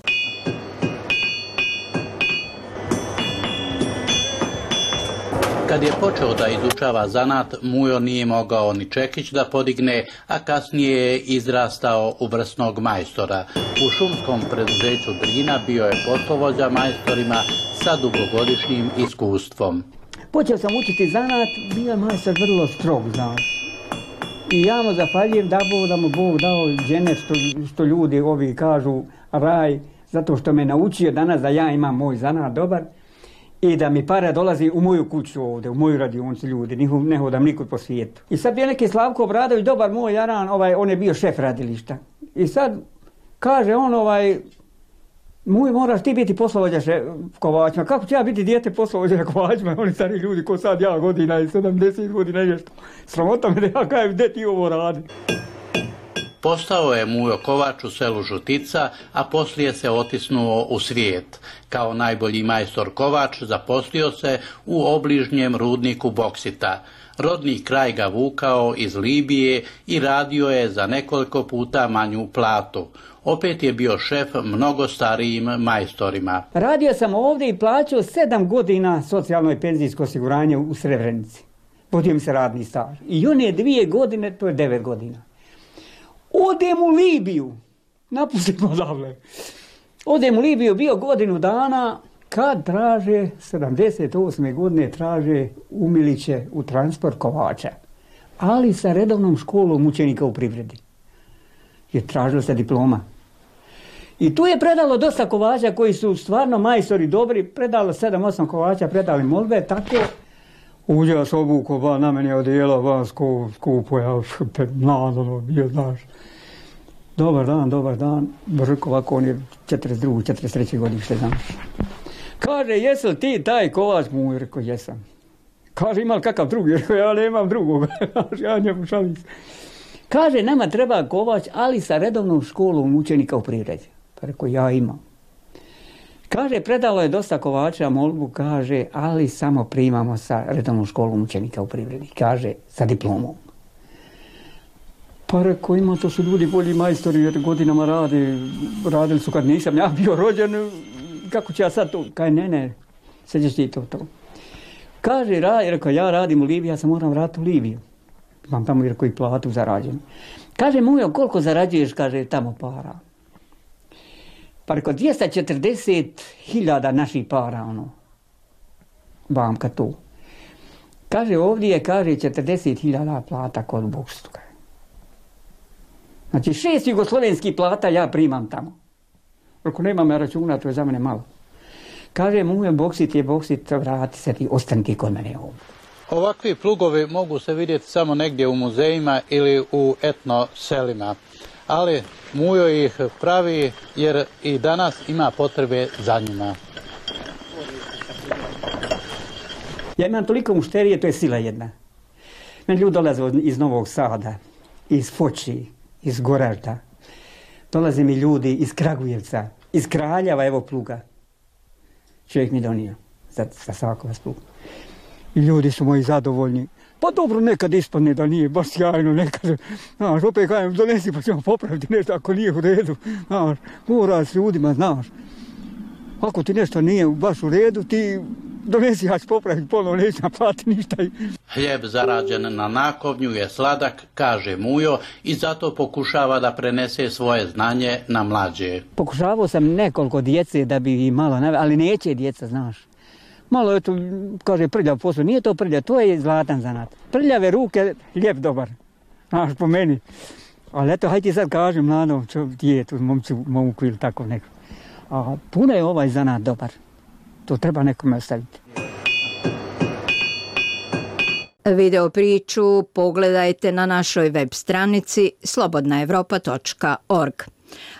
Kad je počeo da izučava zanat, Mujo nije mogao ni čekić da podigne, a kasnije je izrastao u vrsnog majstora. U šumskom preduzeću Drina bio je poslovođa majstorima sa dugogodišnjim iskustvom. Počeo sam učiti zanat, bio je majstor vrlo strog, znaš. I ja mu zahvaljujem da mu Bog dao dženet, što ljudi ovi kažu raj, zato što me naučio danas da ja imam moj zanat dobar. I da mi para dolazi u moju kuću ovdje, u moju radionicu ljudi, ne hodam nikud po svijetu. I sad bio neki Slavko Obradović, dobar moj jaran, on je bio šef radilišta. I sad kaže on, Muj, moraš ti biti poslovođa kovačima. Kako ću ja biti dijete poslovođa kovačima? Oni stari ljudi ko sad ja godina i 70 godina i nešto. Sramota me da ja kajem, gdje ti ovo radi? Postao je Mujo kovač u selu Žutica, a poslije se otisnuo u svijet. Kao najbolji majstor kovač zaposlio se u obližnjem rudniku boksita. Rodni kraj ga vukao iz Libije i radio je za nekoliko puta manju platu. Opet je bio šef mnogo starijim majstorima. Radio sam ovdje i plaćao 7 godina socijalno i penzijsko osiguranje u Srebrenici. Vodio mi se radni staž. I on je 2 godine, to je 9 godina. Odem u Libiju, napustimo odavle. Odem u Libiju, bio godinu dana, kad traže, 78. godine traže umiliće u transport kovača, ali sa redovnom školom učenika u privredi. Je tražilo se diploma. I tu je predalo dosta kovača koji su stvarno majstori dobri, predalo 7-8 kovača, predali molbe, tako. Uđe vas obuko, na meni odijela, vas skupo, ja nadano bio, znaš. Dobar dan, Brk, ovako on je 42. 43. godište, znaš. Kaže, jesi li ti taj kovač Muj? Rekao, jesam. Kaže, ima li kakav drugi? Rekao, ja nemam drugog. Ja njemu šalim se. Kaže, nama treba kovač, ali sa redovnom školom učenika u privredi. Pa rekao, ja imam. Kaže, predalo je dosta kovača molbu, kaže, ali samo primamo sa redovnom školom učenika u privredi. Kaže, sa diplomom. Pa rekao, ima, to su ljudi bolji majstori jer godinama radili su kad nisam ja bio rođen, kako ću ja sad to? Kaže, ne, seđeš ti to. Kaže, rekao, ja radim u Libiji, ja se moram vratiti u Libiju. Imam tamo rekao i platu zarađenu. Kaže, Mujo, koliko zarađuješ, kaže, tamo para? Pa rekao, 240.000 naših para, ono. Bamka tu. Kaže, ovdje je, kaže, 40.000 plata kod bokstu. Znači, 6 jugoslovenskih plata ja primam tamo. Rekao, nemam ja računa, to je za mene malo. Kaže, Mujo, boksit, vrati se ti, ostani ti kod mene ovdje. Ovakvi plugovi mogu se vidjeti samo negdje u muzejima ili u etno selima, ali Mujo ih pravi jer i danas ima potrebe za njima. Ja imam toliko mušterije, to je sila jedna. Meni ljudi dolaze iz Novog Sada, iz Foči, iz Goražda. Dolaze mi ljudi iz Kragujevca, iz Kraljeva, evo pluga. Čovjek mi donio za svakog pluga. I ljudi su moji zadovoljni. Pa dobro, nekad ispadne da nije baš sjajno, nekad, znaš, opet kajem, donesi pa ćemo popraviti nešto ako nije u redu, znaš, mora s ljudima, znaš. Ako ti nešto nije baš u redu, ti donesi, ja ću popraviti ponovno, neću naplatiti ništa. Hljeb zarađen na nakovnju je sladak, kaže Mujo, i zato pokušava da prenese svoje znanje na mlađe. Pokušavao sam nekoliko djece da bi ih malo, ali neće djeca, znaš. Malo je to, kaže, prljav posao. Nije to prljav, to je zlatan zanat. Prljave ruke, lijep dobar. Znaš, po meni. Ali eto, hajde ti sad kažem, mladom djetu, momku ili tako neko. A puno je ovaj zanat dobar. To treba nekome ostaviti. Video priču pogledajte na našoj web stranici slobodnaevropa.org.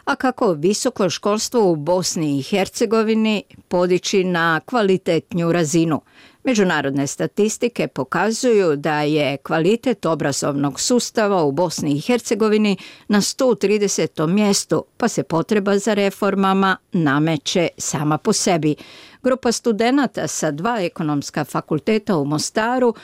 A kako visoko školstvo u Bosni i Hercegovini podići na kvalitetnju razinu? Međunarodne statistike pokazuju da je kvalitet obrazovnog sustava u Bosni i Hercegovini na 130. mjestu, pa se potreba za reformama nameće sama po sebi. Grupa studenata sa 2 ekonomska fakulteta u Mostaru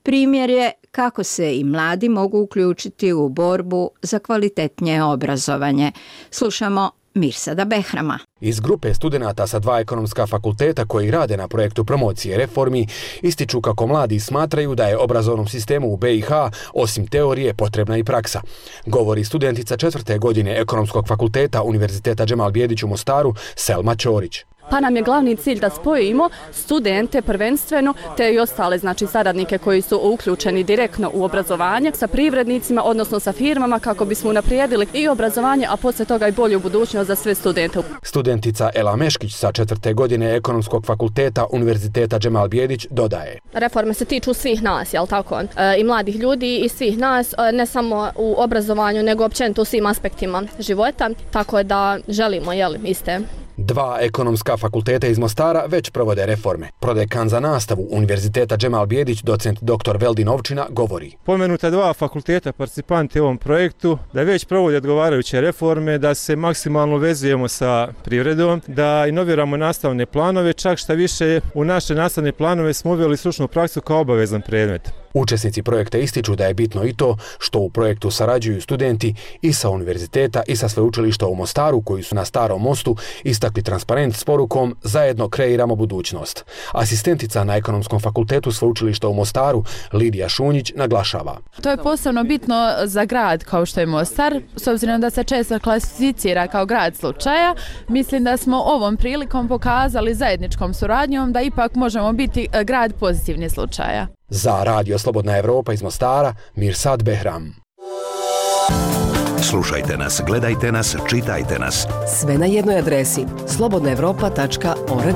primjer je kako se i mladi mogu uključiti u borbu za kvalitetnije obrazovanje. Slušamo Mirsada Behrama. Iz grupe studenata sa 2 ekonomska fakulteta koji rade na projektu promocije reformi ističu kako mladi smatraju da je obrazovnom sistemu u BiH osim teorije potrebna i praksa. Govori studentica 4. godine ekonomskog fakulteta Univerziteta Džemal Bijedić u Mostaru Selma Ćorić. Pa nam je glavni cilj da spojimo studente prvenstveno te i ostale, znači saradnike koji su uključeni direktno u obrazovanje sa privrednicima, odnosno sa firmama kako bismo unaprijedili i obrazovanje, a poslije toga i bolju budućnost za sve studente. Studentica Ela Meškić sa 4. godine ekonomskog fakulteta Univerziteta Džemal Bijedić dodaje. Reforme se tiču svih nas, jel tako? I mladih ljudi i svih nas, ne samo u obrazovanju, nego općenito u svim aspektima života, tako da želimo, iste. 2 ekonomska fakulteta iz Mostara već provode reforme. Prodekan za nastavu Univerziteta Džemal Bijedić, docent dr. Veldin Ovčina, govori. Pomenuta 2 fakulteta participanti u ovom projektu, da već provode odgovarajuće reforme, da se maksimalno vezujemo sa privredom, da inoviramo nastavne planove, čak šta više u naše nastavne planove smo uveli stručnu praksu kao obavezan predmet. Učesnici projekta ističu da je bitno i to što u projektu sarađuju studenti i sa univerziteta i sa sveučilišta u Mostaru koji su na Starom mostu istakli transparent s porukom zajedno kreiramo budućnost. Asistentica na ekonomskom fakultetu sveučilišta u Mostaru Lidija Šunjić naglašava. To je posebno bitno za grad kao što je Mostar, s obzirom da se često klasificira kao grad slučaja. Mislim da smo ovom prilikom pokazali zajedničkom suradnjom da ipak možemo biti grad pozitivnih slučaja. Za Radio Slobodna Evropa iz Mostara, Mirsad Behram. Slušajte nas, gledajte nas, čitajte nas. Sve na jednoj adresi slobodnaevropa.org.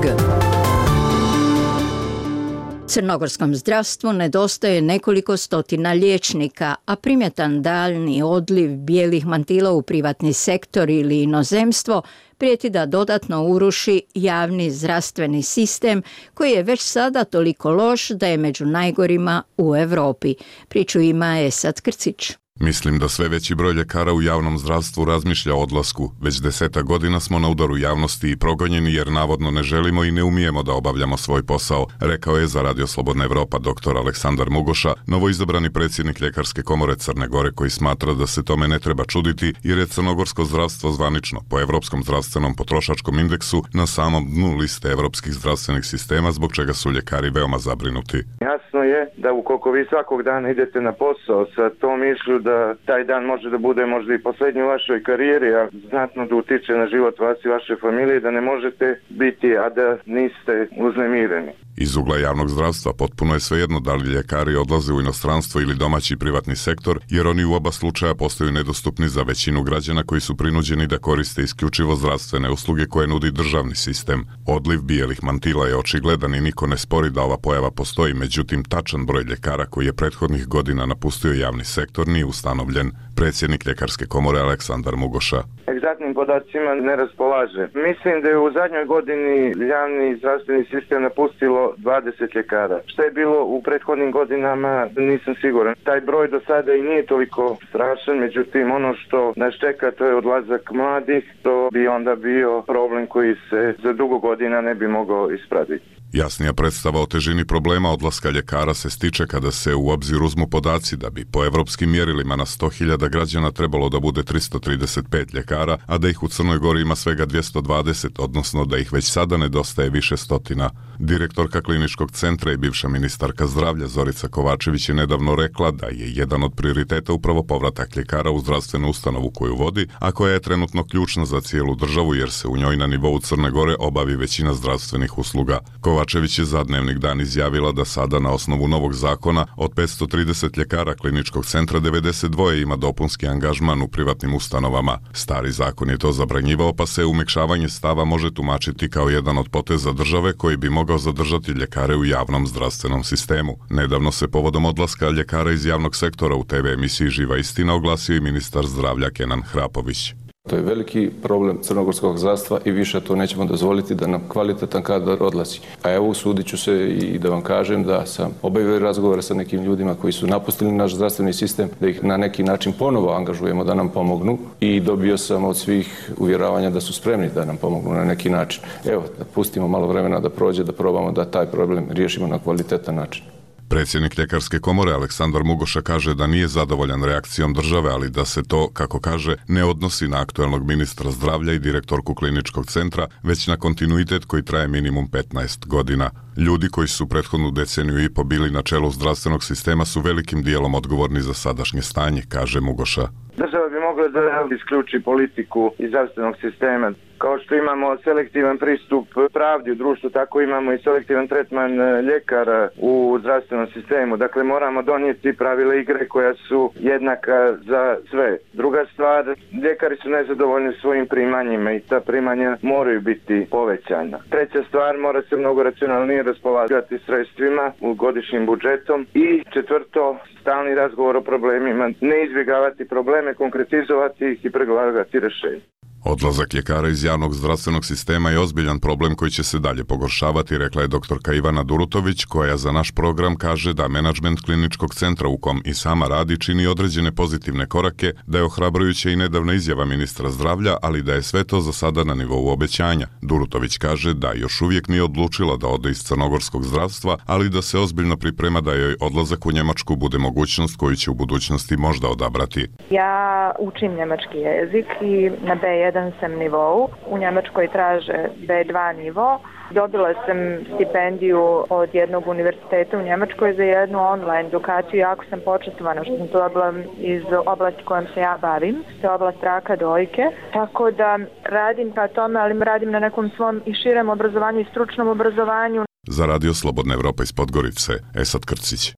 Crnogorskom zdravstvu nedostaje nekoliko stotina liječnika, a primjetan daljni odliv bijelih mantila u privatni sektor ili inozemstvo prijeti da dodatno uruši javni zdravstveni sistem koji je već sada toliko loš da je među najgorima u Europi. Priču ima Esad Krcić. Mislim da sve veći broj ljekara u javnom zdravstvu razmišlja o odlasku. Već 10 godina smo na udaru javnosti i progonjeni jer navodno ne želimo i ne umijemo da obavljamo svoj posao, rekao je za Radio Slobodna Evropa dr. Aleksandar Mugoša, novoizabrani predsjednik Ljekarske komore Crne Gore, koji smatra da se tome ne treba čuditi jer je crnogorsko zdravstvo zvanično po Evropskom zdravstvenom potrošačkom indeksu na samom dnu liste evropskih zdravstvenih sistema, zbog čega su ljekari veoma zabrinuti. Jasno je da ukoliko vi svakog dana idete na posao sa tom mišlju da taj dan može da bude možda i posljednji u vašoj karijeri, a znatno da utiče na život vas i vaše familije, da ne možete biti, a da niste uznemireni. Iz ugla javnog zdravstva potpuno je svejedno da li ljekari odlaze u inostranstvo ili domaći privatni sektor, jer oni u oba slučaja postaju nedostupni za većinu građana koji su prinuđeni da koriste isključivo zdravstvene usluge koje nudi državni sistem. Odliv bijelih mantila je očigledan i niko ne spori da ova pojava postoji, međutim tačan broj ljekara koji je prethodnih godina napustio javni sektor nije ustanovljen. Predsjednik Ljekarske komore Aleksandar Mugoša. Egzaktnim podacima ne raspolaže. Mislim da je u zadnjoj godini javni zdravstveni sistem napustilo 20 ljekara. Šta je bilo u prethodnim godinama, nisam siguran. Taj broj do sada i nije toliko strašan, međutim ono što nas čeka to je odlazak mladih, to bi onda bio problem koji se za dugo godina ne bi mogao ispraviti. Jasnija predstava o težini problema odlaska ljekara se stiče kada se u obzir uzmu podaci da bi po evropskim mjerilima na 100.000 građana trebalo da bude 335 ljekara, a da ih u Crnoj Gori ima svega 220, odnosno da ih već sada nedostaje više stotina. Direktorka kliničkog centra i bivša ministarka zdravlja Zorica Kovačević je nedavno rekla da je jedan od prioriteta upravo povratak ljekara u zdravstvenu ustanovu koju vodi, a koja je trenutno ključna za cijelu državu jer se u njoj na nivou Crne Gore obavi većina zdravstvenih usluga. Kovačević je za Dnevnik Dan izjavila da sada na osnovu novog zakona od 530 ljekara kliničkog centra 92 ima dopunski angažman u privatnim ustanovama. Stari zakon je to zabranjivao, pa se umekšavanje stava može tumačiti kao jedan od poteza države koji bi mogao zadržati ljekare u javnom zdravstvenom sistemu. Nedavno se povodom odlaska ljekara iz javnog sektora u TV emisiji Živa istina oglasio i ministar zdravlja Kenan Hrapović. To je veliki problem crnogorskog zdravstva i više to nećemo dozvoliti da nam kvalitetan kadar odlazi. A evo usudit ću se i da vam kažem da sam obavio razgovore sa nekim ljudima koji su napustili naš zdravstveni sistem, da ih na neki način ponovo angažujemo da nam pomognu i dobio sam od svih uvjeravanja da su spremni da nam pomognu na neki način. Evo, da pustimo malo vremena da prođe, da probamo da taj problem riješimo na kvalitetan način. Predsjednik Ljekarske komore Aleksandar Mugoša kaže da nije zadovoljan reakcijom države, ali da se to, kako kaže, ne odnosi na aktuelnog ministra zdravlja i direktorku kliničkog centra, već na kontinuitet koji traje minimum 15 godina. Ljudi koji su prethodnu deceniju i po bili na čelu zdravstvenog sistema su velikim dijelom odgovorni za sadašnje stanje, kaže Mugoša. Država bi mogla da isključi politiku iz zdravstvenog sistema. Kao što imamo selektivan pristup pravdi u društvu, tako imamo i selektivan tretman ljekara u zdravstvenom sistemu. Dakle, moramo donijeti pravila igre koja su jednaka za sve. Druga stvar, ljekari su nezadovoljni svojim primanjima i ta primanja moraju biti povećana. Treća stvar, mora se mnogo racionalnije raspolagati sredstvima u godišnjim budžetom. I četvrto, stalni razgovor o problemima, ne izbjegavati probleme, konkretizovati ih i pregovarati rješenje. Odlazak ljekara iz javnog zdravstvenog sistema je ozbiljan problem koji će se dalje pogoršavati, rekla je doktorka Ivana Durutović, koja za naš program kaže da menadžment kliničkog centra u kom i sama radi čini određene pozitivne korake, da je ohrabrujuća i nedavna izjava ministra zdravlja, ali da je sve to za sada na nivou obećanja. Durutović kaže da još uvijek nije odlučila da ode iz crnogorskog zdravstva, ali da se ozbiljno priprema da joj odlazak u Njemačku bude mogućnost koju će u budućnosti možda odabrati. Ja učim njemački jezik i na B1 sam nivou. U Njemačkoj traže B2 nivo. Dobila sam stipendiju od jednog univerziteta u Njemačkoj za jednu online edukaciju. Jako sam počastvovana što sam to dobila iz oblasti kojom se ja bavim. To je oblast raka dojke. Tako da radim pa tome, ali radim na nekom svom i širem obrazovanju i stručnom obrazovanju. Za Radio Slobodna Evropa iz Podgorice, Esad Krcić.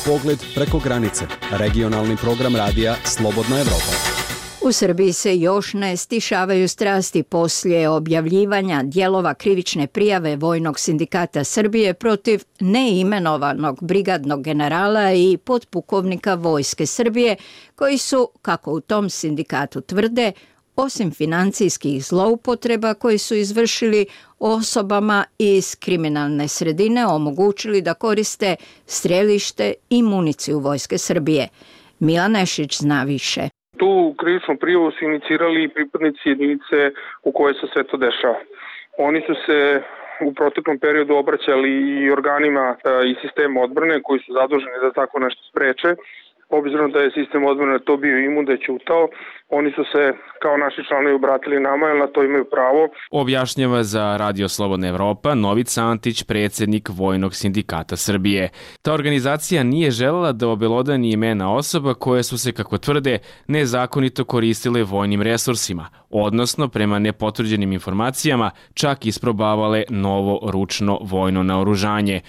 Pogled preko granice. Regionalni program radija Slobodna Evropa. U Srbiji se još ne stišavaju strasti poslije objavljivanja dijelova krivične prijave Vojnog sindikata Srbije protiv neimenovanog brigadnog generala i potpukovnika Vojske Srbije, koji su, kako u tom sindikatu tvrde, osim financijskih zloupotreba koje su izvršili osobama iz kriminalne sredine, omogućili da koriste strelište i municiju Vojske Srbije. Milan Nešić zna više. Tu krivičnu prijavu su inicirali pripadnici jedinice u kojoj se sve to dešava. Oni su se u proteklom periodu obraćali i organima i sistema odbrane koji su zaduženi da tako nešto spreče. Obzirom da je sistem odbrane to bio imun, da je ćutao, oni su se kao naši članovi obratili nama, jer na to imaju pravo. Objašnjava za Radio Slobodna Evropa Novica Antić, predsjednik Vojnog sindikata Srbije. Ta organizacija nije želela da obelodani imena osoba koje su se, kako tvrde, nezakonito koristile vojnim resursima, odnosno prema nepotvrđenim informacijama čak isprobavale novo ručno vojno naoružanje.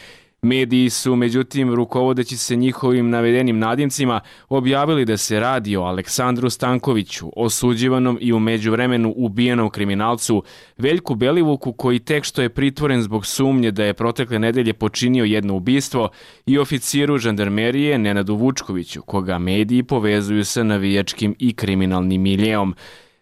Mediji su, međutim, rukovodeći se njihovim navedenim nadimcima, objavili da se radi o Aleksandru Stankoviću, osuđivanom i u međuvremenu ubijenom kriminalcu Veljku Belivuku, koji tek što je pritvoren zbog sumnje da je protekle nedelje počinio jedno ubistvo, i oficiru žandarmerije Nenadu Vučkoviću, koga mediji povezuju sa navijačkim i kriminalnim miljeom.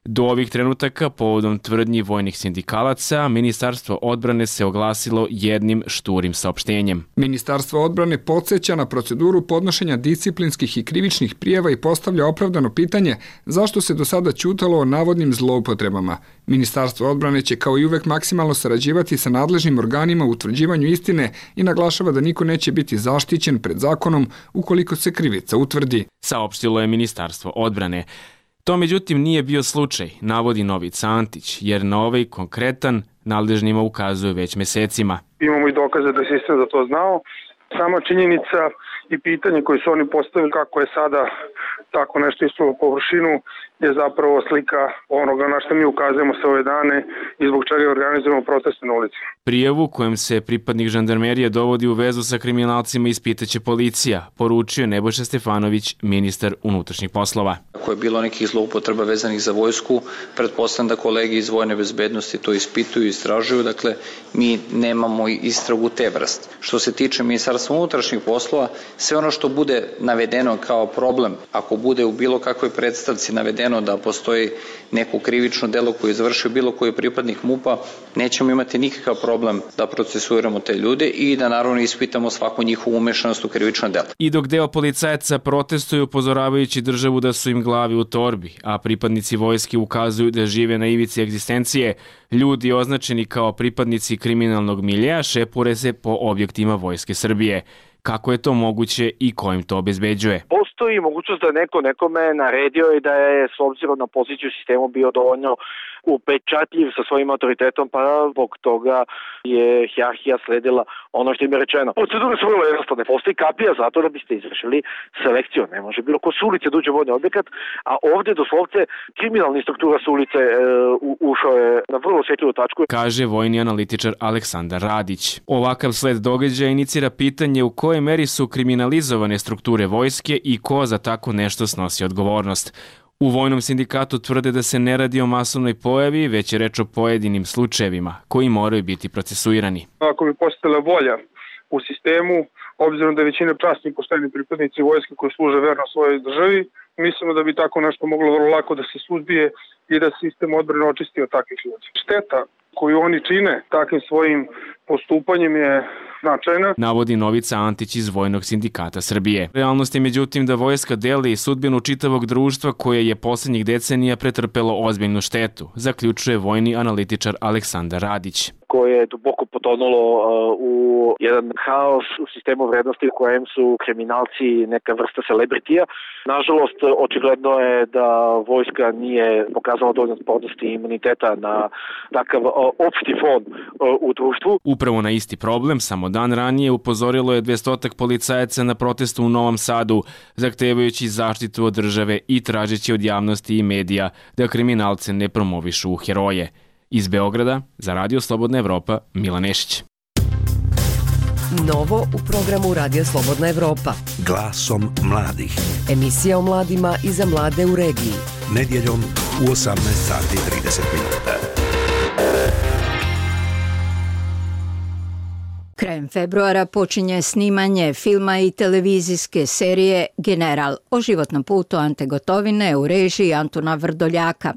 Do ovih trenutaka, povodom tvrdnji vojnih sindikalaca, Ministarstvo odbrane se oglasilo jednim šturim saopštenjem. Ministarstvo odbrane podsjeća na proceduru podnošenja disciplinskih i krivičnih prijava i postavlja opravdano pitanje zašto se do sada ćutalo o navodnim zloupotrebama. Ministarstvo odbrane će kao i uvek maksimalno sarađivati sa nadležnim organima u utvrđivanju istine i naglašava da niko neće biti zaštićen pred zakonom ukoliko se krivica utvrdi. Saopštilo je Ministarstvo odbrane. To međutim nije bio slučaj, navodi Novica Antić, jer na ovaj konkretan nadležnima ukazuje već mesecima. Imamo i dokaze da je sistem za to znao. Sama činjenica i pitanje koje su oni postavili kako je sada tako nešto ispalo površinu je zapravo slika onoga na što mi ukazujemo sve ove dane i zbog čega organizujemo proteste na ulici. Prijavu kojem se pripadnik žandarmerije dovodi u vezu sa kriminalcima ispitaće policija, poručio Nebojša Stefanović, ministar unutrašnjih poslova. Ako je bilo nekih zloupotreba vezanih za vojsku, pretpostavljam da kolege iz vojne bezbednosti to ispituju i istražuju, dakle mi nemamo istragu te vrste. Što se tiče Ministarstva unutrašnjih poslova, sve ono što bude navedeno kao problem, ako bude u bilo kakvoj predstavci navedeno da postoji neko krivično delo koje je izvršio bilo koji pripadnik MUP-a, nećemo imati nikakav problem da procesuiramo te ljude i da naravno ispitamo svaku njihovu umešanost u krivično delo. I dok deo policajaca protestuju upozoravajući državu da su im glavi u torbi, a pripadnici vojske ukazuju da žive na ivici egzistencije, ljudi označeni kao pripadnici kriminalnog miljeja šepure se po objektima Vojske Srbije. Kako je to moguće i ko im to obezbeđuje? Postoji mogućnost da neko nekome naredio i da je s obzirom na poziciju u sistemu bio dovoljno upečatljiv sa svojim autoritetom, pa zbog toga je hijerarhija sledila ono što im je rečeno. Procedure su vrlo jednostavne. Postoji kapija zato da biste izvršili selekciju. Ne može bilo ko s ulice da uđe u vojni objekat, a ovdje doslovce kriminalna struktura s ulice ušao je na vrlo osjetljivu tačku. Kaže vojni analitičar Aleksandar Radić. Ovakav sled događaja inicira pitanje u kojoj meri su kriminalizovane strukture vojske i ko za tako nešto snosi odgovornost. U Vojnom sindikatu tvrde da se ne radi o masovnoj pojavi, već je reč o pojedinim slučajevima koji moraju biti procesuirani. Ako bi postojala volja u sistemu, obzirom da je većina časnih pošteni pripadnici vojske koji služe verno svojoj državi, mislimo da bi tako nešto moglo vrlo lako da se suzbije i da sistem odbrane očisti od takvih ljudi. Šteta koju oni čine takvim svojim postupanjem je značajna, navodi Novica Antić iz Vojnog sindikata Srbije. Realnost je međutim da vojska deli sudbinu čitavog društva koje je posljednjih decenija pretrpelo ozbiljnu štetu, zaključuje vojni analitičar Aleksandar Radić. Koje je duboko potonulo u jedan haos u sistemu vrednosti u kojem su kriminalci neka vrsta celebritija. Nažalost, očigledno je da vojska nije pokazala dovoljno spornosti i imuniteta na takav opšti fon u društvu. Upravo na isti problem, samo dan ranije upozorilo je 200 policajaca na protestu u Novom Sadu, zahtevajući zaštitu od države i tražeći od javnosti i medija da kriminalce ne promovišu u heroje. Iz Beograda, za Radio Slobodna Evropa, Milan Nešić. Novo u programu Radio Slobodna Evropa. Glasom mladih. Emisija o mladima i za mlade u regiji. Nedjeljom u 18:30. Krajem februara počinje snimanje filma i televizijske serije General o životnom putu Ante Gotovine u režiji Antuna Vrdoljaka.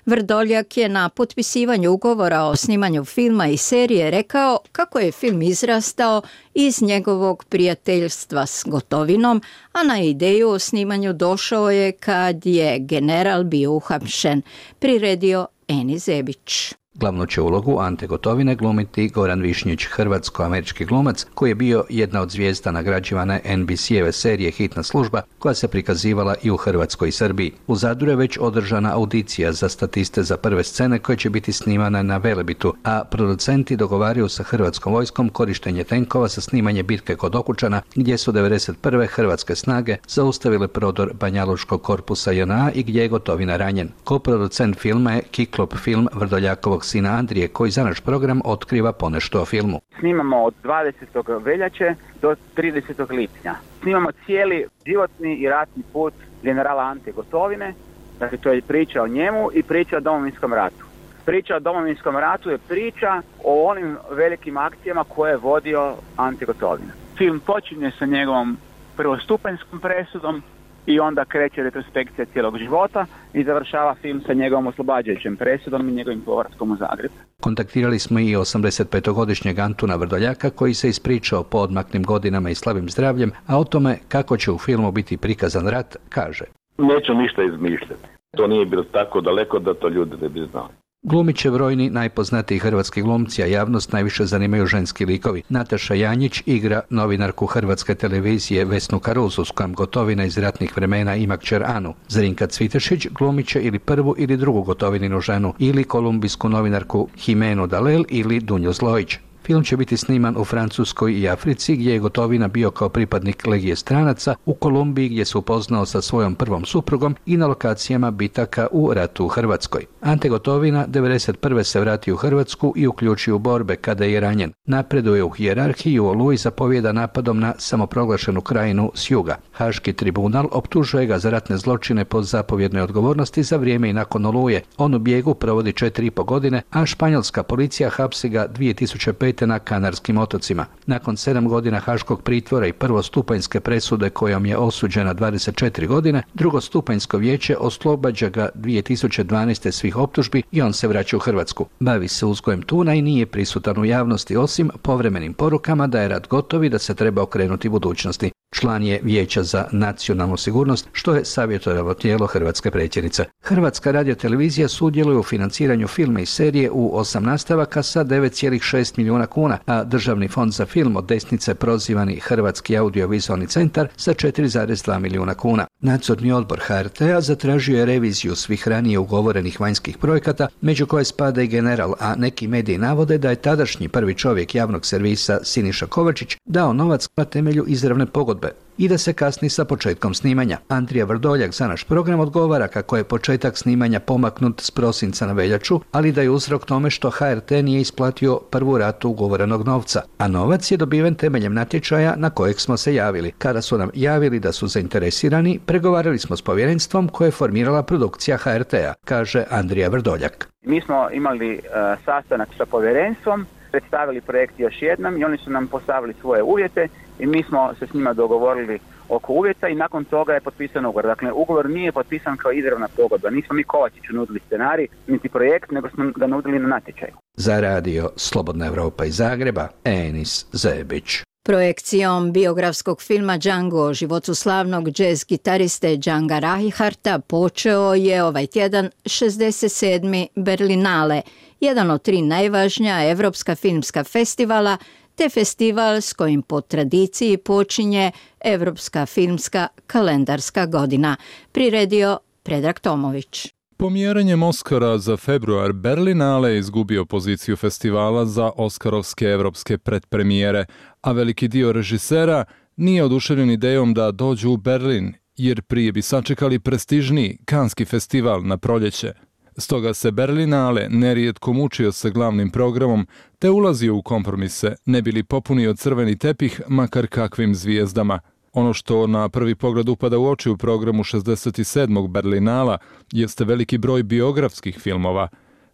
Vrdoljak je na potpisivanju ugovora o snimanju filma i serije rekao kako je film izrastao iz njegovog prijateljstva s Gotovinom, a na ideju o snimanju došao je kad je General bio uhapšen, priredio Eni Zebić. Glavnu će ulogu Ante Gotovine glumiti Goran Višnjić, hrvatsko-američki glumac koji je bio jedna od zvijezda nagrađivane NBC-eve serije Hitna služba koja se prikazivala i u Hrvatskoj i Srbiji. U Zadru je već održana audicija za statiste za prve scene koje će biti snimane na Velebitu, a producenti dogovaraju sa Hrvatskom vojskom korištenje tenkova za snimanje bitke kod Okučana gdje su 1991. hrvatske snage zaustavile prodor Banjalučkog korpusa JNA i gdje je Gotovina ranjen. Koproducent filma je Kiklop film Vrdoljakovog sina Andrije, koji za naš program otkriva ponešto o filmu. Snimamo od 20. veljače do 30. lipnja. Snimamo cijeli životni i ratni put generala Ante Gotovine, dakle to je priča o njemu i priča o Domovinskom ratu. Priča o Domovinskom ratu je priča o onim velikim akcijama koje je vodio Ante Gotovina. Film počinje sa njegovom prvostupanjskom presudom i onda kreće retrospekcija cijelog života i završava film sa njegovom oslobađajućem presudom i njegovim povratkom u Zagreb. Kontaktirali smo i 85-godišnjeg Antuna Vrdoljaka koji se ispričao po odmaklim godinama i slabim zdravljem, a o tome kako će u filmu biti prikazan rat, kaže. Neću ništa izmišljati. To nije bilo tako daleko da to ljudi ne bi znali. Glumit će brojni najpoznatiji hrvatski glumci, a javnost najviše zanimaju ženski likovi. Nataša Janjić igra novinarku Hrvatske televizije Vesnu Karuzu, s kojom Gotovina iz ratnih vremena ima kćer Anu. Zrinka Cvitešić glumit će ili prvu ili drugu Gotovininu ženu, ili kolumbijsku novinarku Jimenu Dalel ili Dunju Zlojić. Film će biti sniman u Francuskoj i Africi, gdje je Gotovina bio kao pripadnik Legije stranaca, u Kolumbiji gdje se upoznao sa svojom prvom suprugom i na lokacijama bitaka u ratu u Hrvatskoj. Ante Gotovina 1991. se vratio u Hrvatsku i uključio u borbe kada je ranjen. Napreduje u hijerarhiji i u Oluji zapovjeda napadom na samoproglašenu krajinu s juga. Haški tribunal optužuje ga za ratne zločine po zapovjednoj odgovornosti za vrijeme i nakon Oluje. On u bijegu provodi 4,5 godine, a španjolska policija hapsi ga 2005. na Kanarskim otocima. Nakon 7 godina haškog pritvora i prvostupanjske presude kojom je osuđena 24 godine, drugostupanjsko vijeće oslobađa ga 2012. svih optužbi i on se vraća u Hrvatsku. Bavi se uzgojem tuna i nije prisutan u javnosti osim povremenim porukama da je rat gotov i da se treba okrenuti budućnosti. Član je Vijeća za nacionalnu sigurnost, što je savjetodavno tijelo hrvatske predsjednice. Hrvatska radiotelevizija sudjeluje u financiranju filma i serije u 8 nastavaka sa 9,6 milijuna kuna, a Državni fond za film od desnice prozivani Hrvatski audiovizualni centar sa 4,2 milijuna kuna. Nadzorni odbor HRT-a zatražio je reviziju svih ranije ugovorenih vanjskih projekata, među koje spada i General, a neki mediji navode da je tadašnji prvi čovjek javnog servisa Siniša Kovačić dao novac na temelju izravne pogodbe i da se kasni sa početkom snimanja. Andrija Vrdoljak za naš program odgovara kako je početak snimanja pomaknut s prosinca na veljaču, ali da je uzrok tome što HRT nije isplatio prvu ratu ugovorenog novca, a novac je dobiven temeljem natječaja na kojeg smo se javili. Kada su nam javili da su zainteresirani, pregovarali smo s povjerenstvom koje je formirala produkcija HRT-a, kaže Andrija Vrdoljak. Mi smo imali sastanak sa povjerenstvom, predstavili projekt još jednom i oni su nam postavili svoje uvjete i mi smo se s njima dogovorili oko uvjeta i nakon toga je potpisan ugovor. Dakle, ugovor nije potpisan kao izravna pogodba. Nismo mi Kovačiću nudili scenarij, niti projekt, nego smo ga nudili na natječaj. Za radio Slobodna Evropa iz Zagreba, Enis Zebić. Projekcijom biografskog filma Django o životu slavnog džez gitariste Djanga Reinhardta počeo je ovaj tjedan 67. Berlinale, jedan od 3 najvažnija evropska filmska festivala, te festival s kojim po tradiciji počinje Evropska filmska kalendarska godina, priredio Predrag Tomović. Pomjeranjem Oscara za februar, Berlinale je izgubio poziciju festivala za oskarovske evropske predpremijere, a veliki dio režisera nije oduševljen idejom da dođu u Berlin, jer prije bi sačekali prestižniji Kanski festival na proljeće. Stoga se Berlinale nerijetko mučio sa glavnim programom, te ulazio u kompromise, ne bi li popunio crveni tepih makar kakvim zvijezdama. Ono što na prvi pogled upada u oči u programu 67. Berlinala jeste veliki broj biografskih filmova.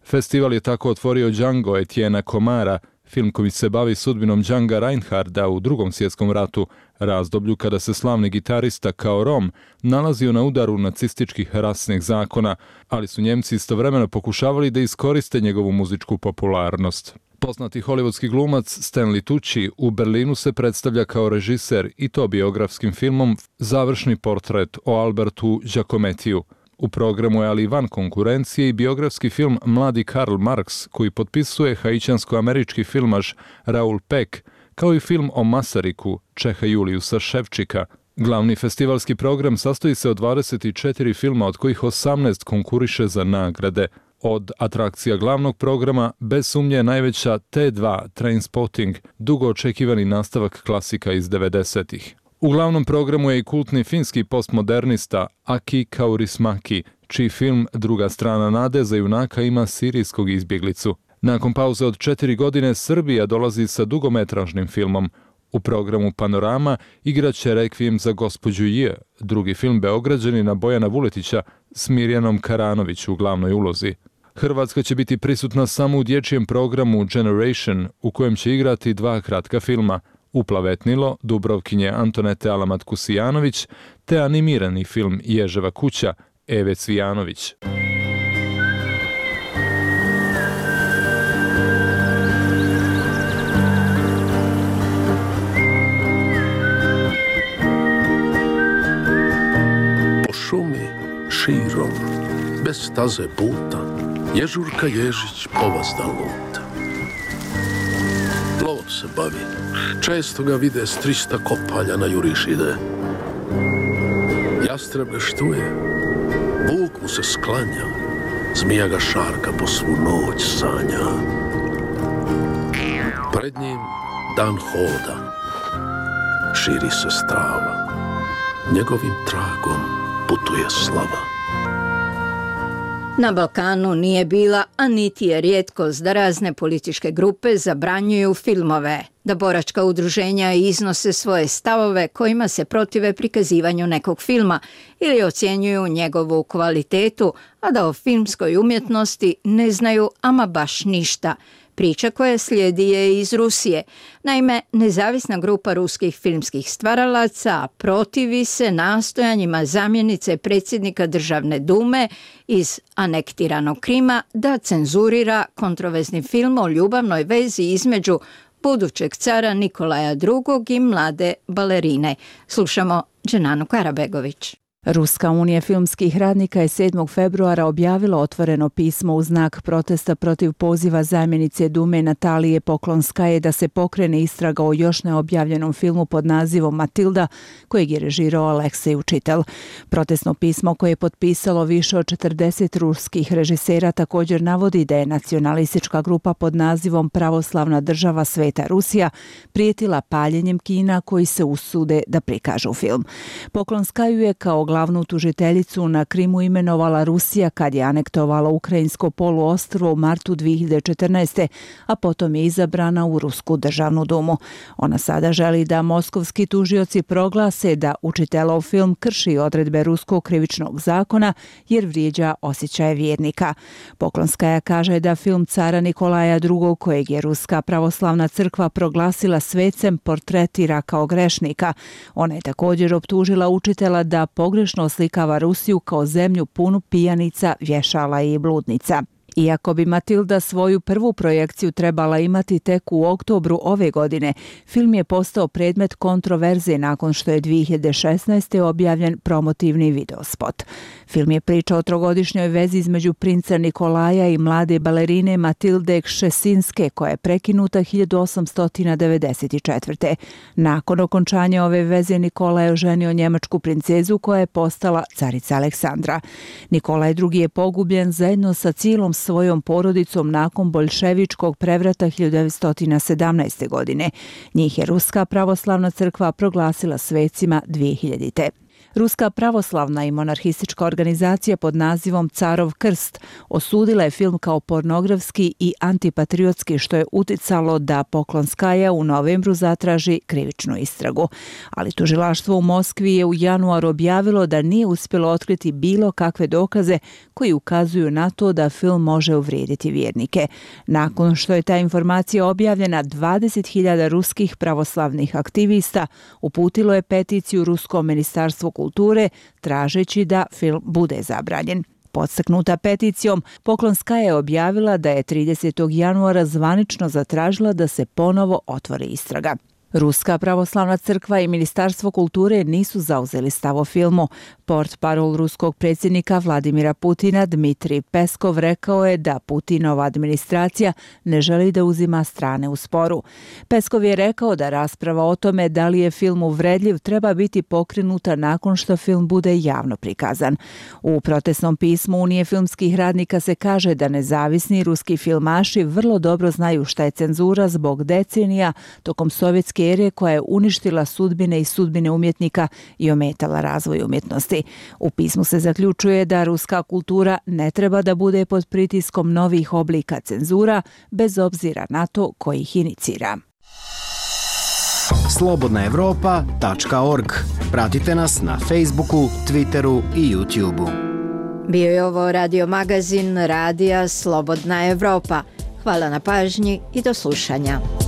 Festival je tako otvorio Django Etienne'a Comara, film koji se bavi sudbinom Django Reinharda u Drugom svjetskom ratu, razdoblju kada se slavni gitarista kao Rom nalazio na udaru nacističkih rasnih zakona, ali su Njemci istovremeno pokušavali da iskoriste njegovu muzičku popularnost. Poznati hollywoodski glumac Stanley Tucci u Berlinu se predstavlja kao režiser i to biografskim filmom Završni portret o Albertu Giacomettiju. U programu je ali van konkurencije i biografski film Mladi Karl Marx koji potpisuje haićansko-američki filmaš Raoul Peck, kao i film o Masariku Čeha Juliusa Ševčika. Glavni festivalski program sastoji se od 24 filma, od kojih 18 konkuriše za nagrade. Od atrakcija glavnog programa bez sumnje je najveća T2 Trainspotting, dugo očekivani nastavak klasika iz 90-ih. U glavnom programu je i kultni finski postmodernista Aki Kaurismäki, čiji film Druga strana nade za junaka ima sirijskog izbjeglicu. Nakon pauze od 4 godine Srbija dolazi sa dugometražnim filmom. U programu Panorama igraće Requiem za gospođu J, drugi film Beograđanina Bojana Vuletića s Mirjanom Karanović u glavnoj ulozi. Hrvatska će biti prisutna samo u dječjem programu Generation, u kojem će igrati 2 kratka filma, Uplavetnilo Dubrovkinje Antonete Alamat-Kusijanović te animirani film Ježeva kuća Eve Cvijanović. Po šumi širom, bez staze puta, ježurka Ježić povazda luta. Lovom se bavi, često ga vide s 300 kopalja na juriš ide. Jastreb ga štuje, vuk mu se sklanja, zmija ga šarka po svu noć sanja. Pred njim dan hoda, širi se strava, njegovim tragom putuje slava. Na Balkanu nije bila, a niti je rijetkost da razne političke grupe zabranjuju filmove, da boračka udruženja iznose svoje stavove kojima se protive prikazivanju nekog filma ili ocjenjuju njegovu kvalitetu, a da o filmskoj umjetnosti ne znaju ama baš ništa. Priča koja slijedi je iz Rusije. Naime, nezavisna grupa ruskih filmskih stvaralaca protivi se nastojanjima zamjenice predsjednika Državne dume iz anektiranog Krima da cenzurira kontroverzni film o ljubavnoj vezi između budućeg cara Nikolaja II. I mlade balerine. Slušamo Dženanu Karabegović. Ruska unija filmskih radnika je 7. februara objavila otvoreno pismo u znak protesta protiv poziva zamjenice Dume Natalije Poklonskaje da se pokrene istraga o još neobjavljenom filmu pod nazivom Matilda, kojeg je režirao Aleksej Učitel. Protestno pismo koje je potpisalo više od 40 ruskih režisera također navodi da je nacionalistička grupa pod nazivom Pravoslavna država Sveta Rusija prijetila paljenjem kina koji se usude da prikažu film. Poklonskaju je kao glavnu tužiteljicu na Krimu imenovala Rusija kad je anektovala ukrajinsko poluostrvo u martu 2014. a potom je izabrana u Rusku državnu dumu. Ona sada želi da moskovski tužioci proglase da Učitelov film krši odredbe ruskog krivičnog zakona jer vrijeđa osjećaje vjernika. Poklonskaja kaže da film cara Nikolaja II. Kojeg je Ruska pravoslavna crkva proglasila svecem portretira kao grešnika. Ona je također optužila Učitela da pogrešno oslikava Rusiju kao zemlju punu pijanica, vješala i bludnica. Iako bi Matilda svoju prvu projekciju trebala imati tek u oktobru ove godine, film je postao predmet kontroverze nakon što je 2016. objavljen promotivni videospot. Film je priča o trogodišnjoj vezi između princa Nikolaja i mlade balerine Matilde Kšesinske, koja je prekinuta 1894. Nakon okončanja ove veze Nikola je oženio njemačku princezu koja je postala carica Aleksandra. Nikolaj II. Je pogubljen zajedno sa cijelom svojom porodicom nakon boljševičkog prevrata 1917. godine. Njih je Ruska pravoslavna crkva proglasila svecima 2000. Ruska pravoslavna i monarhistička organizacija pod nazivom Carov krst osudila je film kao pornografski i antipatriotski, što je uticalo da Poklonskaja u novembru zatraži krivičnu istragu. Ali tužilaštvo u Moskvi je u januaru objavilo da nije uspjelo otkriti bilo kakve dokaze koji ukazuju na to da film može uvrijediti vjernike. Nakon što je ta informacija objavljena, 20.000 ruskih pravoslavnih aktivista uputilo je peticiju Ruskom ministarstvu kulture tražeći da film bude zabranjen. Podstaknuta peticijom, Poklonskaja je objavila da je 30. januara zvanično zatražila da se ponovo otvori istraga. Ruska pravoslavna crkva i Ministarstvo kulture nisu zauzeli stav o filmu. Portparol ruskog predsjednika Vladimira Putina Dmitrij Peskov rekao je da Putinova administracija ne želi da uzima strane u sporu. Peskov je rekao da rasprava o tome da li je film uvredljiv treba biti pokrenuta nakon što film bude javno prikazan. U protestnom pismu Unije filmskih radnika se kaže da nezavisni ruski filmaši vrlo dobro znaju šta je cenzura zbog decenija tokom sovjetske ere koja je uništila sudbine i sudbine umjetnika i ometala razvoj umjetnosti. U pismu se zaključuje da ruska kultura ne treba da bude pod pritiskom novih oblika cenzura, bez obzira na to ko ih inicira. slobodnaevropa.org. Pratite nas na Facebooku, Twitteru i YouTubeu. Bio je ovo radio magazin Radija Slobodna Evropa. Hvala na pažnji i do slušanja.